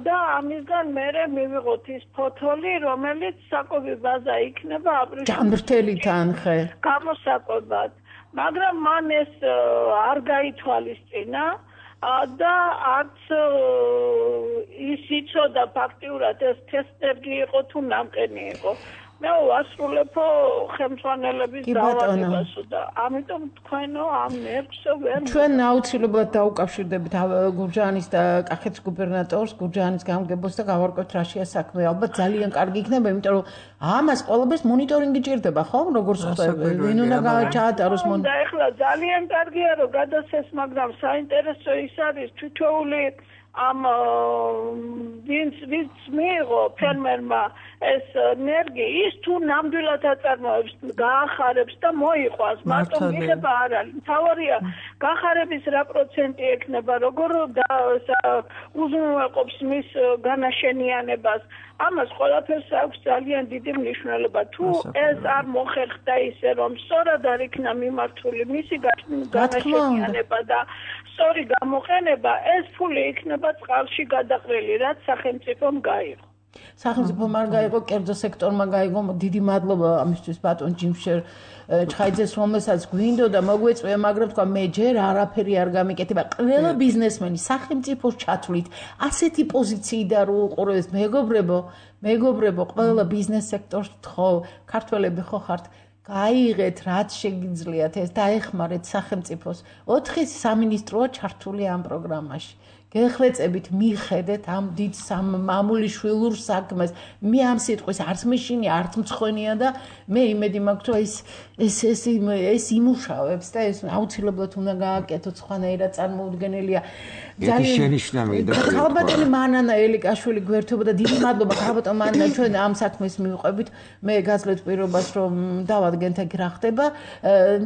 S3: და ამისგან მერე მივიღოთ ის ფოთოლი რომელიც საკვები ბაზა იქნება აბრეშუმის
S2: ჯანმრთელთან ხე
S3: გამოსაკვებად მაგრამ მან ეს არ გაითვალისწინა და არც ის იცოდა ფაქტიურად ეს თესნერგი იყო თუ ნამყენი იყო მე ვასრულებ ხელმძღვანელების დაავადებას და ამიტომ თქვენო ამ ნერგსო ვერ
S2: ჩვენ აუცილებლად დაუკავშირდებით გურჯაანის და კახეთის გუბერნატორს გურჯაანის გამგებელს და გავარკვევთ რაშია საქმე ალბათ ძალიან კარგი იქნება იმიტომ რომ ამას ყველაფერს მონიტორინგი ჭირდება ხო როგორც ხდება ვინ უნდა ჩაატაროს
S3: და ეხლა ძალიან კარგია რომ გადასცეს მაგრამ საინტერესო ის არის თითოეული ამ ვინც მიიღო ფერმერმა ეს ნერგი ის თუ ნამდვილად აწარმოებს გაახარებს და მოიყვანს მარტო მიღება არ არის თავარია გახარების რა პროცენტი ექნება როგორ უზრუნველყოფს მის განაშენიანებას ამას ყველაფერს აქვს ძალიან დიდი მნიშვნელობა თუ ეს არ მოხერხდა ისე რომ სწორად არ იქნა მიმართული მისი განაშენიანება და სწორი გამოყენება ეს ფული იქნება წყალში გადაყრილი რაც სახელმწიფომ გაიღო
S2: სახელმწიფომ არ გაიღო კერძო სექტორმა გაიღო დიდი მადლობა ამისთვის ბატონ ჯიმშერ ჩხაიძეს რომელსაც გვინდოდა მოგვეწვია მაგრამ თქვა მე ჯერ არაფერი არ გამიკეთება ყველა ბიზნესმენი სახელმწიფოს ჩათვლით ასეთი პოზიციიდან რო უყურებს მეგობრებო ყველა ბიზნეს სექტორს ხო ქართველები ხო ხართ გაიღეთ რაც შეგიძლიათ ეს დაეხმარეთ სახელმწიფოს 4 სამინისტროა ჩართული ამ პროგრამაში გეხრეწებით მიხედეთ ამ დიდ მამული შვილურ საქმეს. მე ამ სიტყვის არც მეშინი, არც მცხენია და მე იმედი მაქვს, რომ ეს იმუშავებს და ეს აუცილებლად უნდა გააკეთოთ, სხვანაირად წარმოუდგენელია.
S1: ძალიან შენიშნავია და
S2: ხალბატონი მანანა ელიკაშვილი გვერდობა და დიდი მადლობა ხალბატონ მანანა ჩვენ ამ საქმეს მივყვებით. მე გაძლევთ პირობას რომ დავადგენთ აქ რა ხდება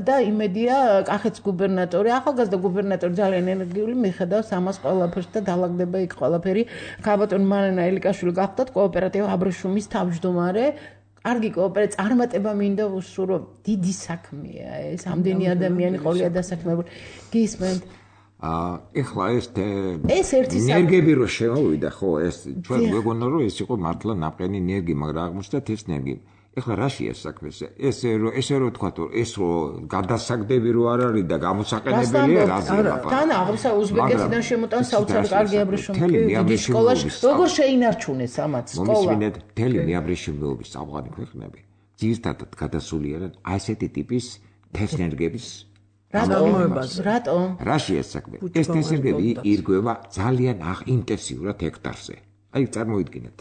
S2: და იმედია კახეთის გუბერნატორი, ახალგაზრდა გუბერნატორი ძალიან ენერგიული მიხედავს ამას ყველაფერს და დაალაგდება იქ ყველაფერი. ხალბატონ მანანა ელიკაშვილი გახდათ კოოპერატივ აბრეშუმის თავმჯდომარე. კარგი კოოპერატივი წარმატება მინდა უსურო დიდი საქმეა ეს. ამდენი ადამიანი ყოლია დასაქმებული. გისმენთ
S1: ეხლა ეს ერთი ენერგები რო შემოვიდა ხო ეს ჩვენ გვეგონა რომ ეს იყო მართლა ნაყენი ენერგი მაგრამ აღმოჩნდა ეს ენერგი ეხლა რაშია საქმე ესე რო თქვა რომ ეს რო გადასაგდები რო არ არის და გამოსაყენებელია რაზე ლაპარაკი
S2: თან აღსა უზბეკეთიდან შემოტან საოცარ კარგი აბრეშუმი დიდი სკოლაში როგორ შეინარჩუნეს ამათ სკოლა
S1: მთელი მეაბრეშუმეობის ავღანი ქვეყნები ძირთადად გადასულიერად ასეთი ტიპის თესნერგების
S2: რატომ?
S1: რაშია საქმე? ეს თესლები ირგვება ძალიან ინტენსიურად ჰექტარზე. აი წარმოიდგინეთ,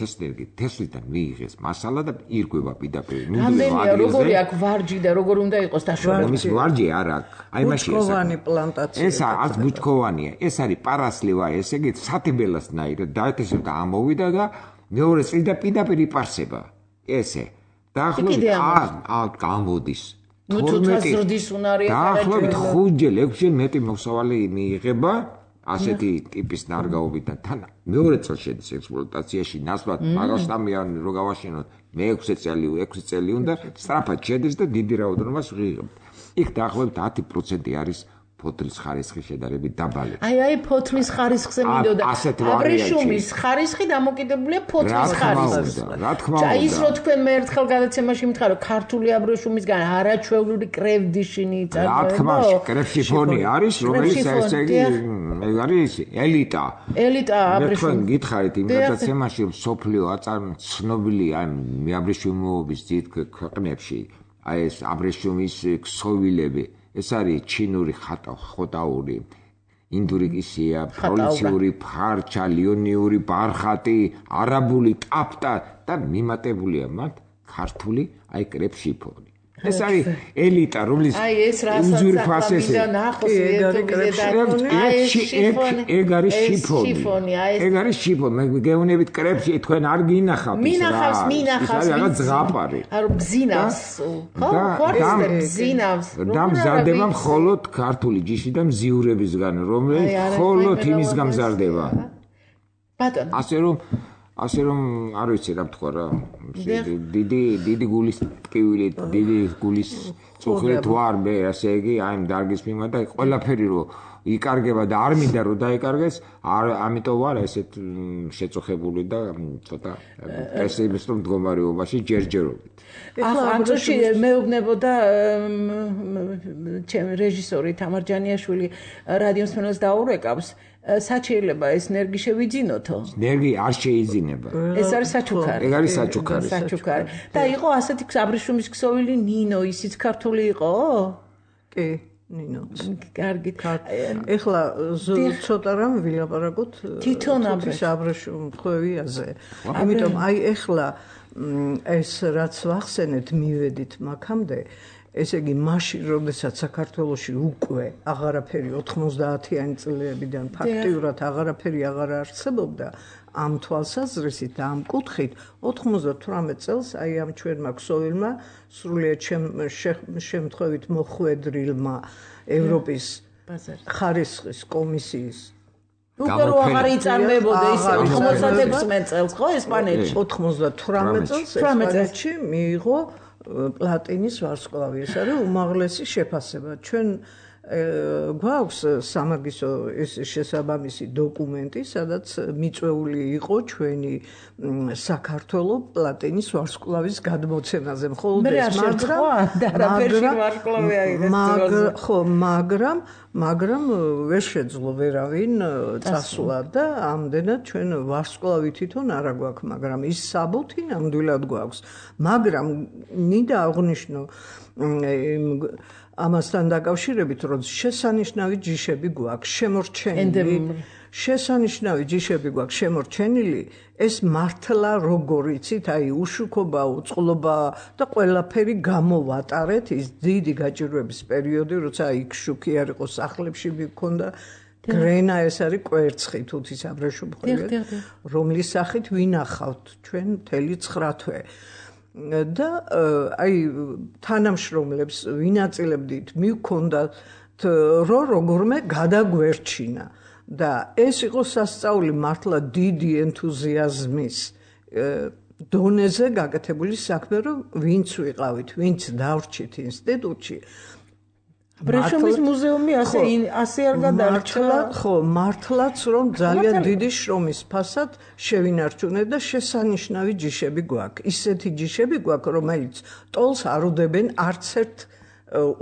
S1: თესლიდან მიიღეს მასალა და ირგვება პირდაპირ.
S2: რამდენია როგორი აქვს ვარჯი და როგორ უნდა იყოს დაშორებული?
S1: ის ვარჯი არ აქვს. აი მაშინ
S6: ბუჩქოვანი პლანტაცია.
S1: ეს არც ბუჩქოვანია, ეს არის პარასლევა, ესე იგი სათიბელასნაირად დაეთესებდა ამოვიდა და მეორე წლიდან პირდაპირ იპარსება. ესე. დაახლოებით გამოდის.
S2: ნუ თუ თაზრდის უნარია
S1: დაახლოებით 5-ჯერ 6-ჯერ მეტი მოსავალი მიიღება ასეთი ტიპის ნარგავობიდან თან მეორე წელს შედის ექსპლუატაციაში ნაცვლად მაგალშტამიანი რო გავაშენოთ მე 6 წელი უნდა სწრაფად შედის და დიდი რაოდენობას ვიღებთ იქ დაახლოებით 10% არის ფოთლის ხარისხი შედარებით დაბალი.
S2: აი ფოთლის ხარისხზე მინდოდა. აბრეშუმის ხარისხი დამოკიდებულია ფოთლის ხარისხზე.
S1: რა თქმა უნდა.
S2: ის რო თქვენ მე ერთხელ გადაცემაში მითხარო ქართული აბრეშუმისგან არაჩვეულური კრევდიშინი
S1: წარმოება. რა თქმა უნდა, კრევშიფონი არის, რომელიც ესე იგი ეგ არის ელიტა.
S2: ელიტა აბრეშუმი.
S1: თქვენ გითხარით იმ გადაცემაში რომ სოფლიო ცნობილია მეაბრეშუმეობის დიდ ქვეყნებში აი ეს აბრეშუმის ქსოვილები ეს არის ჩინური ხოტაური, ინდური კისია, პროვინციული ფარჩა, ლიონიური ბარხატი, არაბული ტაფტა და მიმატებულია მათ ქართული აი კრეფშიფონი. ეს არის ელიტა, რომლის უზურპასესი. ეგ არის შიფონი. ეგ არის შიფონი. მე გეუბნებით კრეფში თქვენ არ გინახავთ
S2: ის რა. მინახავს.
S1: რაღაც ზღაპარი.
S2: არო გზინავს. ხო, გზინავს.
S1: და მზარდება მხოლოდ ქართული ჯიში და მზიურებისგან, რომელიც მხოლოდ იმის გამზარდება.
S2: ბატონო.
S1: ასე რომ არ ვიცი რა თქვა რა დიდი გულის ტკივილი დიდი გულის წუხილი თუ არ მე ასე იგი აი დარგის მიმართ და ყველაფერი რო იკარგება და არ მინდა რომ დაიკარგეს ამიტომ ვარ ესეთ შეწუხებული და ცოტა პესიმისტურ მდგომარეობაში ჯერჯერობით
S2: ახლა მეუბნებოდა ჩემი რეჟისორი თამარ ჯანიაშვილი რადიოს მსმენელს დაურეკავს საჩიელება ეს ნერგი შევიძინოთო?
S1: ნერგი არ შეიძინება.
S2: ეს არის საჩუქარი.
S1: ეგ არის საჩუქარი.
S2: და იყო ასეთი აბრეშუმის ქსოვილი ნინო, ისიც ქართული იყო?
S6: კი, ნინო.
S2: კარგი.
S6: ეხლა ცოტა რამ ვილაპარაკოთ
S2: თვითონ
S6: აბრეშუმხვევიაზე. ამიტომ აი ეხლა ეს რაც ვახსენეთ მივედით მაქამდე ესე იგი მაშინ როდესაც საქართველოში უკვე აღარაფერი 90-იანი წლებიდან ფაქტიურად აღარაფერი აღარ არსებობდა ამ თვალსაზრისით და ამ კუთხით 98 წელს აი ამ ჩვენმა ქსოვილმა სრულიად შემთხვევით მოხვედრილმა ევროპის ხარისხის კომისიის
S2: უკვე რო აღარ იწარმოებოდა ის 96 წელს ხო ესპანეთში
S6: 98 წელს ესპანეთში მიიღო პლატინის ვარსკვლავი ეს არის უმაღლესი შეფასება ჩვენ გვაქვს სამაგისტრო ეს შესაბამისი დოკუმენტი სადაც მიწვეული იყო ჩვენი საქართველოს პლატინის ვარსკვლავის გადმოცემაზე მხოლოდ ეს მაგრამ ვერ შეძლო ვერავინ წასვლა და ამდენად ჩვენ ვარსკვლავი თვითონ არ გვაქვს მაგრამ ის საბუთი ნამდვილად გვაქვს მაგრამ მინდა აღვნიშნო ამასთან დაკავშირებით რომ შესანიშნავი ჯიშები გვაქვს შესანიშნავი ჯიშები გვაქვს შემორჩენილი, ეს მართლა როგორ იცით, აი უშუქობა, უწყლობა და ყველაფერი გამოვატარეთ ის დიდი გაჭირვების პერიოდი, როცა იქ შუქი არ იყო სახლებში მქონდა გრენა ეს არის კვერცხი თუთის აბრეშუმხვევი, რომლის სახით ვინახავთ ჩვენ მთელი 9 თვე. და აი თანამშრომლებს ვინაწილებდით მივქონდათ როგორმე გადაგვერჩინა და ეს იყო სასწაული მართლა დიდი ენთუზიაზმის დონეზე გაკეთებული საქმე, რომ ვინც ვიყავით, ვინც დავრჩით ინსტიტუტში.
S2: აბრეშუმის მუზეუმი ასე არ გადარჩა.
S6: ხო, მართლაც რომ ძალიან დიდი შრომის ფასად შევინარჩუნეთ და შესანიშნავი ჯიშები გვაქვს. ისეთი ჯიშები გვაქვს, რომელიც ტოლს არ უდებენ არც ერთ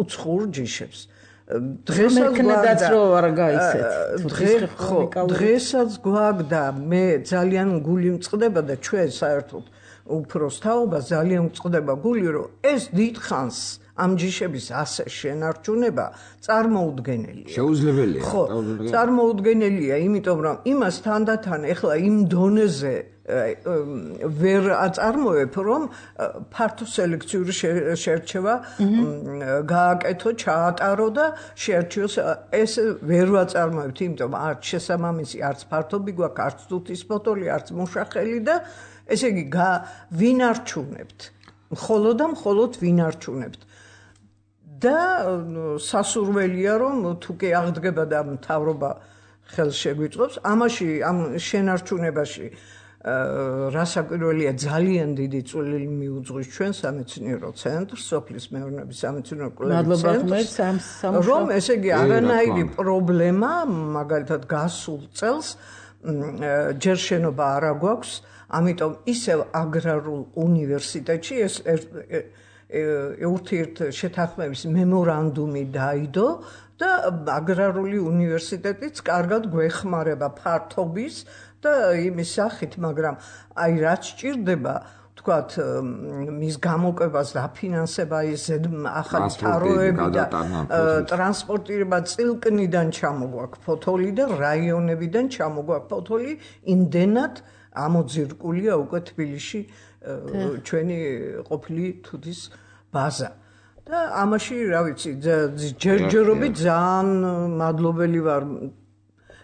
S6: უცხოურ ჯიშებს.
S2: დღესაც რო არ გაიცეთ.
S6: დღესაც გვაქვს და მე ძალიან გული მწყდება და ჩვენ საერთოდ უფროს თაობა ძალიან მწყდება გული, რომ ეს დიდხანს ამ ჯიშების ასე შენარჩუნება წარმოუდგენელია.
S1: შეუძლებელია.
S6: ხო, წარმოუდგენელია, იმიტომ რომ იმას თანდათან ეხლა იმ დონეზე ვერ აწარმოებ, რომ ფართო სელექციური შერჩევა გააკეთო, ჩაატარო და შეარჩიოს. ეს ვერ ვაწარმოებთ, იმიტომ არც შესაბამისი, არც ფართობი გვაქვს, არც თუთის ფოტოლი, არც მუშახელი და ესე იგი ვინარჩუნებთ. მხოლოდ და მხოლოდ ვინარჩუნებთ. და სასურველია რომ თუ კი აღდგება და მთავრობა ხელს შეგვიწყობს ამაში ამ შენარჩუნებაში რასაკვირველია ძალიან დიდი წვლილი მიუძღვის ჩვენ სამეცნიერო ცენტრს, სოფლის მეურნეობის სამეცნიერო კვლევების ცენტრს, რომ ესე იგი არანაირი პრობლემა მაგალითად გასულ წელს ჯერ შენობა არ აგვაქვს, ამიტომ ისევ აგრარულ უნივერსიტეტში ეს ურთიერთ შეთანხმების მემორანდუმი დაიდო და აგრარული უნივერსიტეტიც კარგად გვეხმარება ფართობის და იმის სახით, მაგრამ აი რაც ჭირდება თქვათ მის გამოკვებას დაფინანსება ის ახალი თაროები და ტრანსპორტირება წილკნიდან ჩამოგვაქვს ფოთოლი და რაიონებიდან ჩამოგვაქვს ფოთოლი, იმდენად ამოძირკულია უკვე თბილისში ჩვენი ყოფილი თუთის ბაზა. და ამაში რა ვიცი, ჯერჯერობით ძალიან მადლობელი ვარ.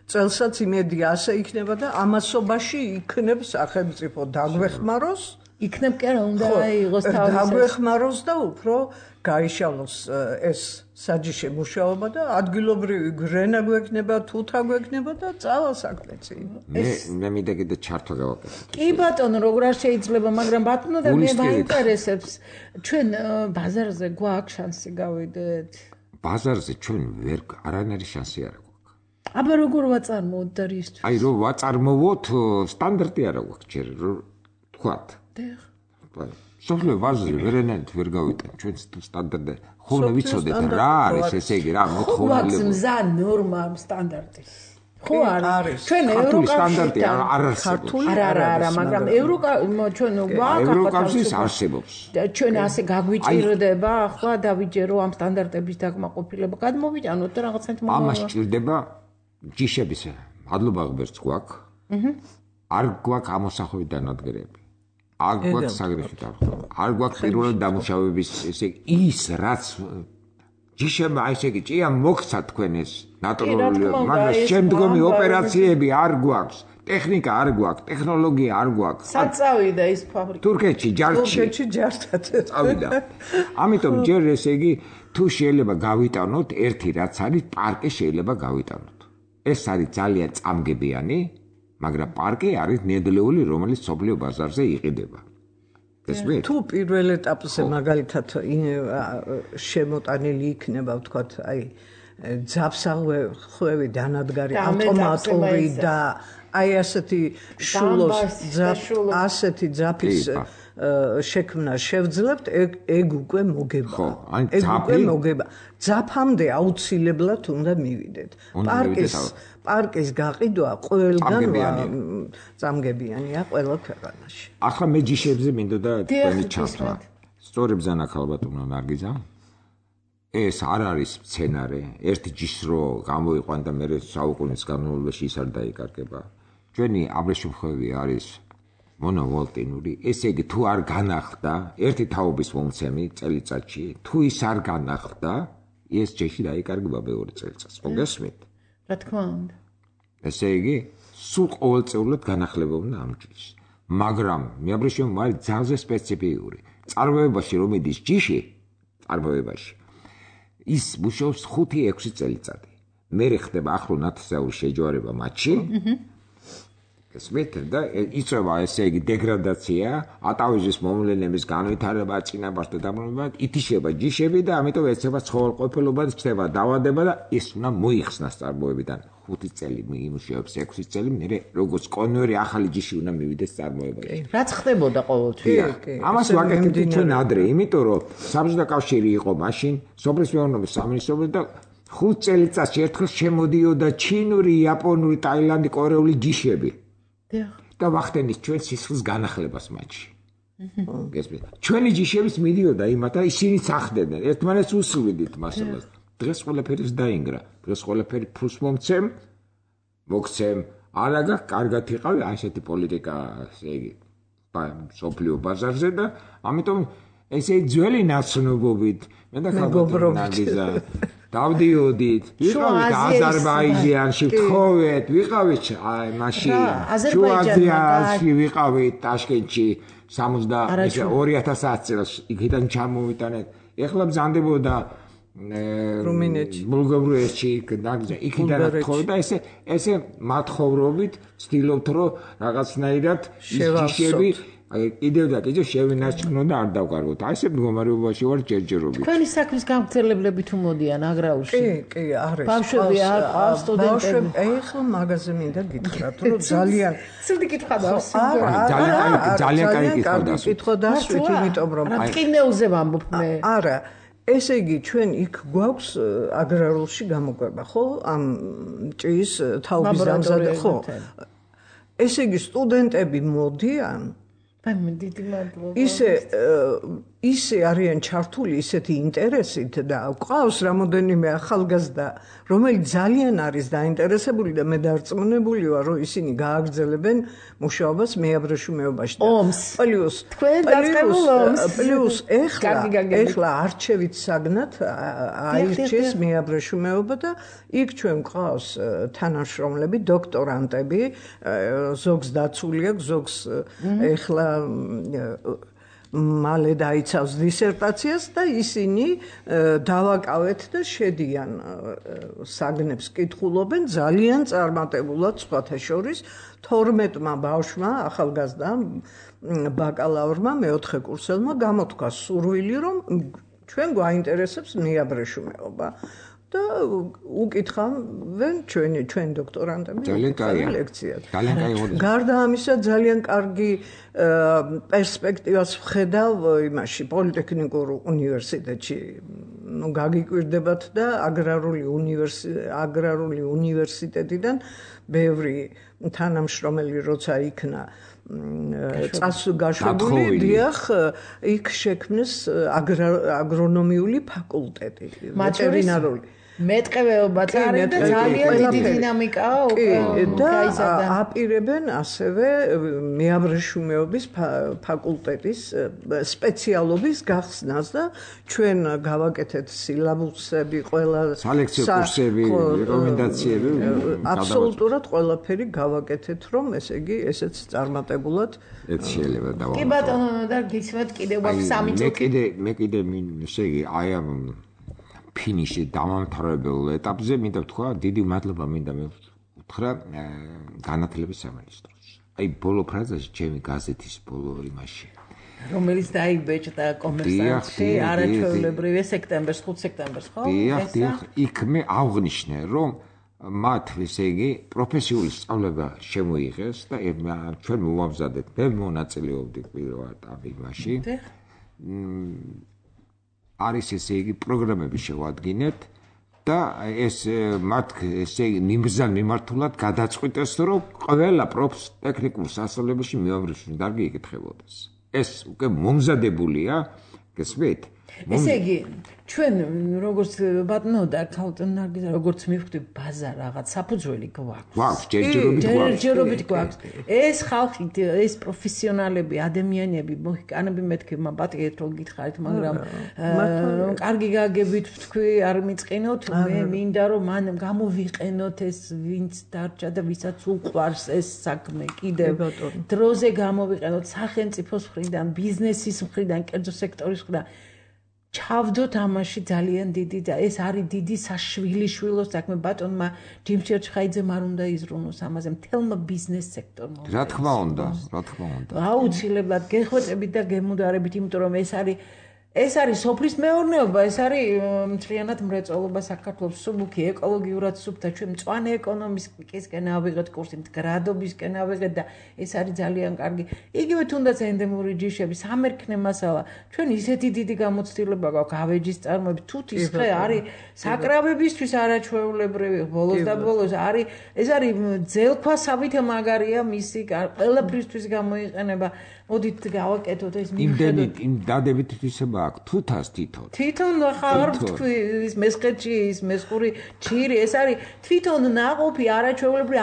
S6: წელსაც იმედი ასე იქნება და ამასობაში იქნებ სახელმწიფო დაგვეხმაროს.
S2: იქნებ კი არა უნდა აიღოს თავის
S6: დაგვეხმაროს და უფრო გაიშალოს ეს საჯიში მუშაობა და ადგილობრივი გრენა გვექნება, თუთა გვექნება და წავა საქმეცი.
S1: მე მინდა კიდე ჩართვა გავაკეთო.
S2: კი ბატონო, როგორ არ შეიძლება, მაგრამ ბატონო და მე მაინტერესებს, ჩვენ ბაზარზე გვაქვს შანსი გავიდეთ?
S1: ბაზარზე ჩვენ ვერ არანაირი შანსი არ გვაქვს.
S2: აბა როგორ ვაწარმოოთ და რისთვის?
S1: აი რომ ვაწარმოოთ, სტანდარტი არა გვაქვს ჯერ, თქვათ. სოფლიო ბაზარზე ვერანაირად ვერ გავიტან ჩვენ სტანდარტი. ხოლმე ვიცოდეთ რა არის ესე იგი რა მოთხოვნილება.
S2: ხო, მზა ნორმა სტანდარტი. ხო არის. ჩვენ
S1: ევროკავშირის სტანდარტი არ არსებობს.
S2: არა, მაგრამ ჩვენ
S1: ევროკავშირის არსებობს.
S2: ჩვენ ასე გაგვიჭირდება, ახლა დავიჯერო ამ სტანდარტების დაკმაყოფილება, გადმოვიტანოთ და რაღაცნაირად
S1: ამას ჭირდება ჯიშების მადლობა ღმერთს გვაქვს. არ გვაქვს ამოსახვევი დანადგრები. არ გვაქვს საგრეხი დარღვევა. არ გვაქვს პირველი დამუშავების ესე ის რაც ჯიშებმა ესე იგი ჭია მოგცა თქვენ ეს ნატურალური, მაგრამ შემდგომი ოპერაციები არ გვაქვს. ტექნიკა არ გვაქვს, ტექნოლოგია არ გვაქვს.
S2: სად წავიდა ის ფაბრიკა?
S6: თურქეთში ჯარჯად
S1: წავიდა. ამიტომ ჯერ ესე იგი თუ შეიძლება გავიტანოთ ერთი რაც არის პარკი შეიძლება გავიტანოთ. ეს არის ძალიან წამგებიანი, მაგრამ პარკი არის ნედლეული, რომელიც სოფლიო ბაზარზე იყიდება.
S6: თუ პირველ ეტაპზე მაგალითად შემოტანილი იქნება, ვთქვათ, აი ძაფსახვევი დანადგარი ავტომატური და აი ასეთი ასეთი ძაფის შექმნა შევძლებთ, ეგ უკვე მოგება. ეგ უკვე მოგება. ძაფამდე აუცილებლად უნდა მივიდეთ. პარკის გაყიდვა ყველგან წამგებიანია ყველა ქვეყანაში.
S1: ახლა მე ჯიშებზე მინდოდა თქვენი ჩართვა. სწორებ ზანახალბატონო ნარგიზა. ეს არ არის სცენარე, ერთი ჯიშს რო გამოიყვან და მე საუკუნის განმავლობაში ის არ დაიკარგება. ჩვენი აბრეშუმხევი არის მონოვოლტინური, ესე იგი თუ არ განახლდა ერთი თაობის მომცემი წელიწადში, თუ ის არ განახლდა, ეს ჯიში დაიკარგება მეორე წელიწადს. მოგესმით?
S2: რა თქმა უნდა.
S1: ესე იგი, სულ ყოველწლიურად განახლება უნდა ამ ჯიშს. მაგრამ მეაბრეშუმი არის ძალზე სპეციფიკური. წარმოებაში რომ მიდის ჯიში, წარმოებაში ის მუშაობს 5-6 წელიწადი. მერე ხდება ახლო ნათესაური შეჯვარება მათში. გესმით და იწვევა ესე იგი დეგრადაცია, ატავიზის მომლენების განვითარება, წინაპარს და დამრობა, ითიშება ჯიშები და ამიტომ ეცემა ცხოველყოფილობა, ხდება დაავადება და ის უნდა მოიხსნას წარმოებიდან. 5 წელი იმუშავებს 6 წელი, მერე როგორც კონვერი ახალი ჯიში უნდა მივიდეს წარმოებაში.
S2: რაც ხდებოდა ყოველთვის.
S1: ამას ვაკეთებთ ჩვენ ადრე, იმიტომ რომ საბჭოთა კავშირი იყო მაშინ, სოფლის მეურნეობის სამინისტროში და 5 წელიწადში ერთხელ შემოდიოდა ჩინური, იაპონური, ტაილანდი, კორეული ჯიშები. და ვახდენით ჩვენ სისხლის განახლებას მათში. გესმით? ჩვენი ჯიშებიც მიდიოდა იმათ და ისინიც ახდებდნენ. ერთმანეთს უსვიდით მასალას. დღეს ყველაფერი დაინგრა. დღეს ყველაფერი ფულს მომცემ, მოგცემ. არაგა კარგად იყავი ასეთი პოლიტიკა, ესე იგი, სოფლიო ბაზარზე და ამიტომ ესე ძველი ნაცნობობით მე და ხალხობრივი დავდიოდით, ვიყავით აზერბაიჯანში, თხოვეთ, ვიყავით მაშინ შუაზიაში, ვიყავით ტაშკენტში 2010 წელს იქიდან ჩამოვიტანეთ. ეხლა ბრძანდებოდა
S6: რუმინეთში,
S1: ბულგარეთში, იქიდან თხოვეთ და ესე მათხოვრობით ვცდილობთ რომ რაღაცნაირად ჯიშები კიდევ და კიდევ შევინარჩუნო და არ დავკარგოთ. აი ესე მდგომარეობაში ვარ ჯერჯერობით.
S2: თქვენი საქმის გამგრძელებლები თუ მოდიან აგრაულში?
S6: კი, არის.
S2: ბავშვები არ ყავს სტუდენტები.
S6: ეხლა მაგაზე მინდა გითხრათ, რომ ძალიან
S2: ცივი კითხვა დავსვით.
S1: ძალიან კაი
S6: კითხვა დავსვით, იმიტომ რომ
S2: ტყინეულზე ვამბობ მე.
S6: არა, ესე იგი ჩვენ იქ გვაქვს აგრარულში გამოკვება, ხო? ამ ჭის თაობის დამზადება, ხო? ესე იგი სტუდენტები მოდიან
S2: დიდი მადლობა.
S6: ისე არიან ჩართული ისეთი ინტერესით და ყავს რამოდენიმე ახალგაზრდა, რომელიც ძალიან არის დაინტერესებული და მე დარწმუნებული ვარ, რომ ისინი გააგრძელებენ მუშაობას მეაბრეშუმეობაში. პლუს ეხლა არჩევით საგნად აირჩიეს მეაბრეშუმეობა და იქ ჩვენ ყავს თანამშრომლები, დოქტორანტები, ზოგს დაცული აქვს, ზოგს ეხლა მალე დაიცავს დისერტაციას და ისინი დავაკავეთ და შედიან საგნებს კითხულობენ ძალიან წარმატებულად სხვათა შორის 12-მა ბავშვმა ახალგაზრდამ ბაკალავრმა მეოთხე კურსელმა გამოთქვა სურვილი რომ ჩვენ გვაინტერესებს მეაბრეშუმეობა და უკითხავენ ჩვენ დოქტორანტები ლექციად. გარდა ამისა ძალიან კარგი პერსპექტივას ვხედავ იმაში პოლიტექნიკურ უნივერსიტეტში. ნუ გაგიკვირდებათ და აგრარული უნივერსიტეტიდან ბევრი თანამშრომელი როცა იქნა წასულგაშვებული, დიახ, იქ შექმნეს აგრონომიული ფაკულტეტი, ვეტერინარული.
S2: მეტყევეობა წარიდა და ძალიან დიდი დინამიკაა
S6: გაიზარდა. აპირებენ ასევე მეაბრეშუმეობის ფაკულტეტის სპეციალობის გახსნას და ჩვენ გავაკეთეთ სილაბუსები, ყველა
S1: სალექციო კურსები, რეკომენდაციები,
S6: აბსოლუტურად ყველაფერი გავაკეთეთ, რომ ესე იგი ესეც წარმატებულად
S1: ეს შეიძლება დავამატო.
S2: კი ბატონო და გისმენთ კიდევ აქვს 3 წუთი.
S1: მე კიდე ესე იგი აი ამ ფინიში დამამთავრებელ ეტაპზე მინდა ვთქვა დიდი მადლობა მინდა მე უთხრა განათლების სამინისტროს. აი ბოლო ფრაზაში ჩემი გაზეთის ბოლო იმაში
S2: რომელიც დაიბეჭდა კომერსანტში არაჩვეულებრივი სექტემბერს 5 სექტემბერს ხო?
S1: დიახ, იქ მე აღვნიშნე რომ მათ ესე იგი პროფესიული სწავლება შემოიღეს და ჩვენ მოვამზადეთ მე მონაწილეობდი პირველად ამ იმაში. არის ესე იგი პროგრამები შევადგინეთ და ეს მათ ესე იგი ნიმბზან მიმართულად გადაწყვიტეს რომ ყველა ტექნიკურ სასწავლებელში მეაბრეშუმეობის დარგი იკითხებოდეს. ეს უკვე მომზადებულია, გესმით?
S2: ესე იგი ჩვენ როგორც ბატონო და ქალტონ ნარგიზა როგორც მივხვდი ბაზა რაღაც საფუძველი
S1: გვაქვს
S2: ჯერჯერობით გვაქვს ეს ხალხი ეს პროფესიონალები ადამიანები მოჰიკანები მეთქი მაპატიეთ რომ გითხარით მაგრამ კარგი გაგებით თქვი არ მიწყინოთ მე მინდა რომ მან გამოვიყენოთ ეს ვინც დარჩა და ვისაც უყვარს ეს საქმე კიდევ დროზე გამოვიყენოთ სახელმწიფოს მხრიდან ბიზნესის მხრიდან კერძო სექტორის მხრიდან ჩავდოთ ამაში ძალიან დიდი და ეს არის დიდი საშვილიშვილო საქმე ბატონმა ჯიმ ჩერჩხაიძემ არ უნდა იზრუნოს ამაზე მთელმა ბიზნეს სექტორმა
S1: რა თქმა უნდა
S2: აუცილებლად გეხვეწებით და გემუდარებით იმიტომ რომ ეს არის სოფლის მეურნეობა ეს არის მთლიანად მრეწველობა საქართველოს სუბუქი ეკოლოგიურად სუფთა ჩვენ მწვანე ეკონომიკისკენ ავიღეთ კურსი მდგრადობისკენ ავიღეთ და ეს არის ძალიან კარგი იგივე თუნდაც ენდემური ჯიშები სამერქნე მასალა ჩვენ ისეთი დიდი გამოცდილება გვაქვს ავეჯის წარმოებით თუთის ხე არის საკრავებისთვის არაჩვეულებრივი ბოლოს და ბოლოს არის ეს არის ძელქვასავით მაგარია მისი ყველაფრისთვის გამოიყენება მოდით გავაკეთოთ ეს
S1: იმდენით იმ დადებით თვისება აქვს თუთას
S2: თვითონ ხარ თქვი ის მესხეთში ის მესხური ჩირი ეს არის თვითონ ნაყოფი არაჩვეულებრივი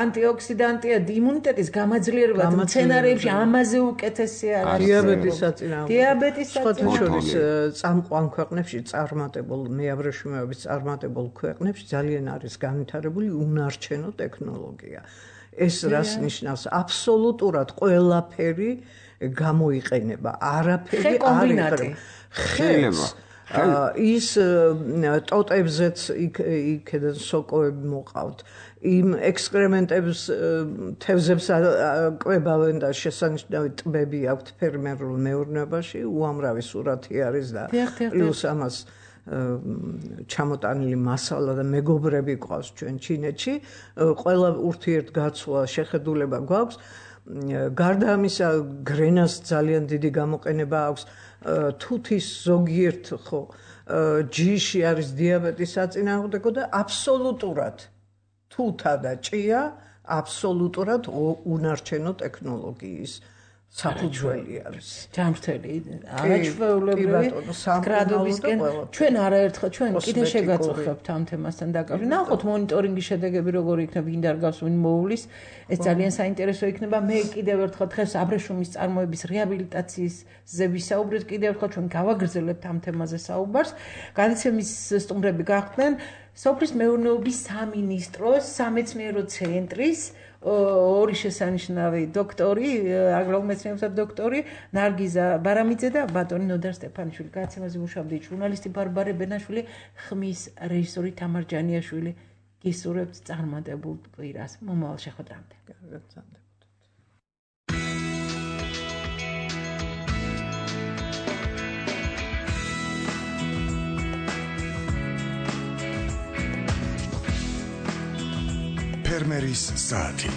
S2: ანტიოქსიდანტია იმუნიტეტის გამაძლიერებლად მცენარეებში ამაზე უკეთესი არის დიაბეტის
S6: საწინააღმდეგო წამყვან ქვეყნებში წარმატებულ მეაბრეშუმეობის წარმატებულ ქვეყნებში ძალიან არის განვითარებული უნარჩენო ტექნოლოგია ეს რას ნიშნავს აბსოლუტურად ყველაფერი გამოიყენება არაფერი არ
S1: შეიძლება
S6: ის ტოტებზეც იქედან სოკოები მოყავთ იმ ექსკრემენტებს თევზებს კვებავენ და შესანიშნავი ტბები აქვთ ფერმერულ მეურნეობაში უამრავი სურათი არის და პლუს ამას ჩამოტანილი მასალა და მეგობრები ყავს ჩვენ ჩინეთში ყველა ურთიერთგაცვლა შეხედულება გვაქვს გარდა ამისა გრენას ძალიან დიდი გამოყენება აქვს თუთის ზოგიერთ ხო ჯიში არის დიაბეტის საწინააღმდეგო და აბსოლუტურად თუთა და ჭია აბსოლუტურად უნარჩენო ტექნოლოგიის საფუძველი არის
S2: ჯამრთელი არაჩვეულებრივი გრადობისკენ ჩვენ არაერთხელ ჩვენ კიდე შეგაწუხებთ ამ თემასთან დაკავშირებით ნახოთ მონიტორინგის შედეგები როგორი იქნება ვინ დარგავს ვინ მოულის ეს ძალიან საინტერესო იქნება მე კიდევ ერთხელ დღეს აბრეშუმის წარმოების რეაბილიტაციისზე ვისაუბრეთ კიდევ ერთხელ ჩვენ გავაგრძელებთ ამ თემაზე საუბარს განაცემის სტუმრები გახდნენ სოფლის მეურნეობის სამინისტროს სამეცნიერო ცენტრის ორი შესანიშნავი დოქტორი, აგრარულ მეცნიერებათა დოქტორი ნარგიზა ბარამიძე და ბატონი ნოდარ სტეფანიშვილი. განაცემაზე მუშაობდი ჟურნალისტი ბარბარე ბენაშვილი, ხმის რეჟისორი თამარ ჯანიაშვილი. გისურვებთ წარმატებულ კვირას. მომავალ შეხვედრამდე.
S8: ფერმერის საათი